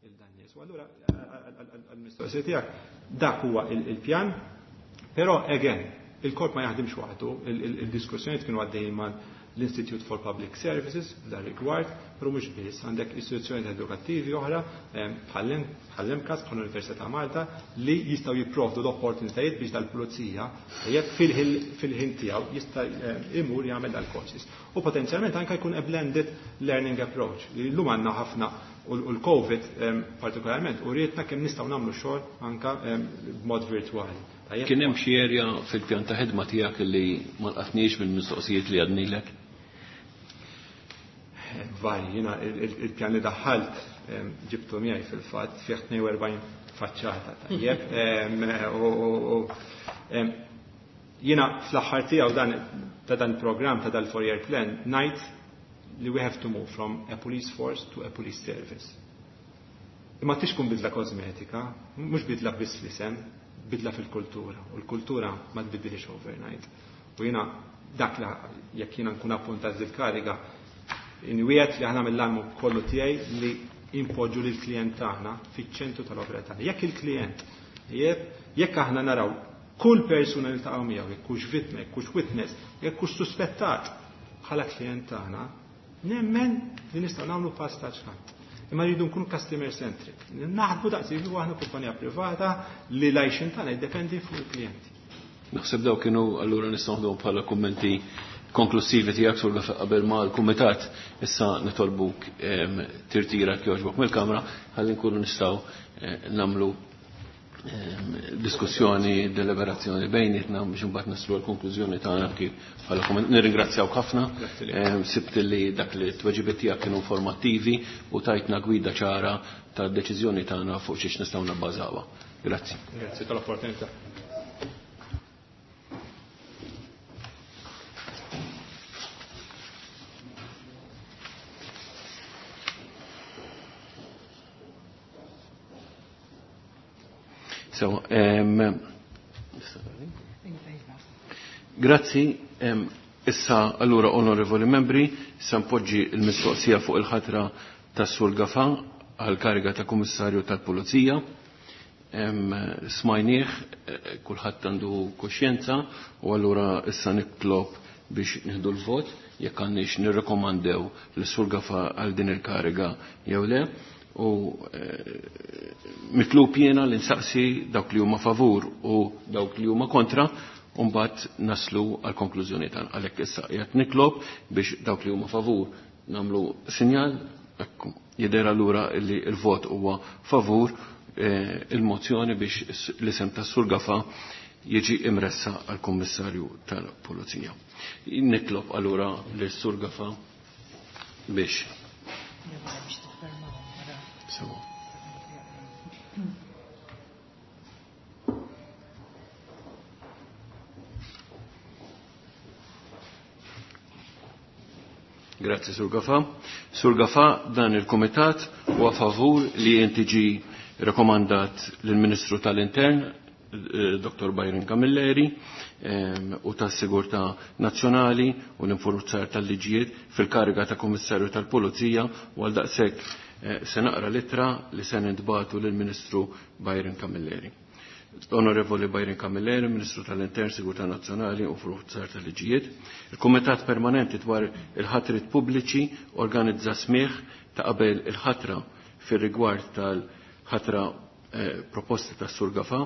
il dan nies. U allura għall-mistoqsija tiegħek dak huwa il-pjan, però again il-korp ma jaħdimx waħdu, il-diskussjonijiet kienu għaddejjin mal l-Institute for Public Services f'dan rigward, però mhux biss, għandek istituzzjonijiet edukattivi oħra bħall-MCAST, bħall-Università ta' Malta, li jistgħu jipprovdu l-opportunitajiet biex dal-pulizija tajjeb fil-ħin tiegħu jista' imur jagħmel dal-courses. U potenzjalment anke jkun a blended learning approach li llum għandna ħafna u l-COVID partikolarment u rietna kemm nistgħu nagħmlu xogħol anke b'mod virtwali. Kien hemm xi erja fil-pjan ta' ħidma tiegħek li ma lqatniex mill-mistoqsijiet li għadnilek? Vari, jiena il-pjan li daħħalt ġibtu miegħi fil-fatt fih tnejn u erbgħin faċċata, tajjeb. Jiena fl-aħħar tiegħu dan ta' dan il-programm ta' dal-four-year plan ngħid li we have to move from a police force to a police service. Imma tix tkun bidla kosmetika, mhux bidla biss fl-isem, bidla fil-kultura, u l-kultura ma tbiddilix overnight. U jiena dak li jekk jiena nkun appuntat dil-kariga, inwiet li aħna mill-almu kollu tiegħi li impoġġu lil klient tagħna fiċ-ċentru tal-opera tagħna. Jekk il-klient, jekk aħna naraw kull persuna li taqgħu miegħu, jekk hux vittma, jekk hux witness, jekk hux suspettat bħala klient tagħna, nemmen li nistgħu nagħmlu pass ta' ċkant. Imma rridu nkunu customer centric. Naħdmu daqs li aħna kumpanija privata li l-għajxin tagħna jiddependi fuq il-klijenti. Naħseb daw kienu allura nistgħu naħduhom bħala kummenti konklusivi tiegħek sur qabel ma l-kumitat issa nitolbuk tirtira jogħġbok mill-kamra ħalli nkunu nistgħu nagħmlu diskussjoni, deliberazzjoni bejnietna biex imbagħad naslu l-konklużjoni tagħna kif bħala kumment. Nirringrazzjawk ħafna. Sibt li dak li t-tweġibiet tiegħek kienu informattivi u tajtna gwida ċara tad-deċiżjoni tagħna fuq xiex nistgħu nabbażawha. Grazzi. Grazzi tal-opportunità. So, um, grazzi. Um, issa, allura, onorevoli membri, issa npoġġi l-mistoqsija fuq il-ħatra tas-Sur Gafa għal-kariga ta' Kummissarju tal-Pulizija. Um, smajnieh, kulħadd għandu kuxjenza, u allura issa nitlob biex nieħdu l-vot jekk għandniex nirrekomandew lis-Sur Gafa għal din il-kariga jew le. U mitlub jiena li nsaqsi dawk li huma favur u dawk li huma kontra, u mbagħad naslu għal konklużjoni tagħna. Għalhekk issa qiegħed nitlob biex dawk li huma favur nagħmlu sinjal, ekku jidher allura li l-vot huwa favur il-mozzjoni biex l-isem tas-Sur Gafa jiġi imressa għal Kummissarju tal-Pulizija. Nitlob allura lis-Sur Gafa biex. Sewa. Grazie, Sur Gafa. Sur Gafa, dan il-Komitat huwa favur li inti ġi rekomandat lill-Ministru tal-Intern, Dottor Byron Camilleri, u tas-Sigurtà Nazzjonali u l-Infurzar tal-Liġijiet fil-kariga ta' Kummissarju tal-Pulizija, u għal daqshekk se naqra litra li se nintbagħtu lill-Ministru Byron Camilleri. Onorevoli Byron Camilleri, Ministru tal-Intern, Sigurtà Nazzjonali u Infurzar tal-Liġijiet, il-Kumitat Permanenti dwar il-ħatrit pubbliċi organizza smigħ ta' qabel il-ħatra fir-rigward tal-ħatra eh, proposta tas Sur Gafa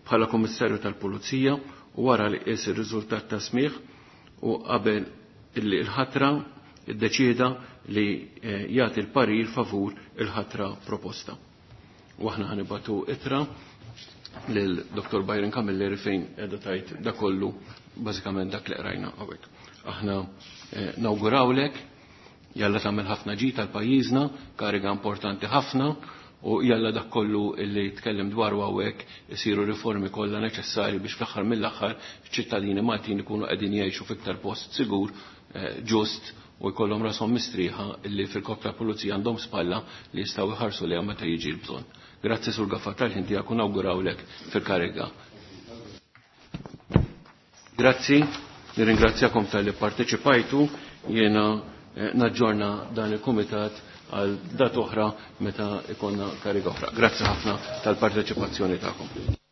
bħala Kummissarju tal-Pulizija, u wara li qies ir-riżultat ta' smigħ u qabel il-ħatra iddeċieda li eh, jagħti l-parir favur il-ħatra proposta. U aħna ħanibatu ittra lil Dottor Byron Camilleri fejn qiegħda tajt da kollu bażikament dak li qrajna hawnhekk. Aħna eh, nawgurawlek, jalla tagħmel ħafna ġid tal pajjiżna, kariga importanti ħafna, u jalla dak kollu illi tkellem dwaru hawnhekk isiru riformi kollha neċessarji biex fl-aħħar mill-aħħar ċittadini Maltin ikunu qegħdin jgħixu fiktar post sigur, eh, ġust, u jkollhom rashom mistrieħa illi fil-Korp tal-Pulizija għandhom spalla li jistgħu jħarsu lejha meta jiġi l-bżonn. Grazzi Sur Gafa tal-ħin tiegħek u nawgurawlek fil-kariga. Grazzi, nirringrazzjakom tal-li parteċipajtu, jiena naġġorna dan il-kumitat għal dat oħra meta ikonna kariga oħra. Grazzi ħafna tal-parteċipazzjoni tagħkom.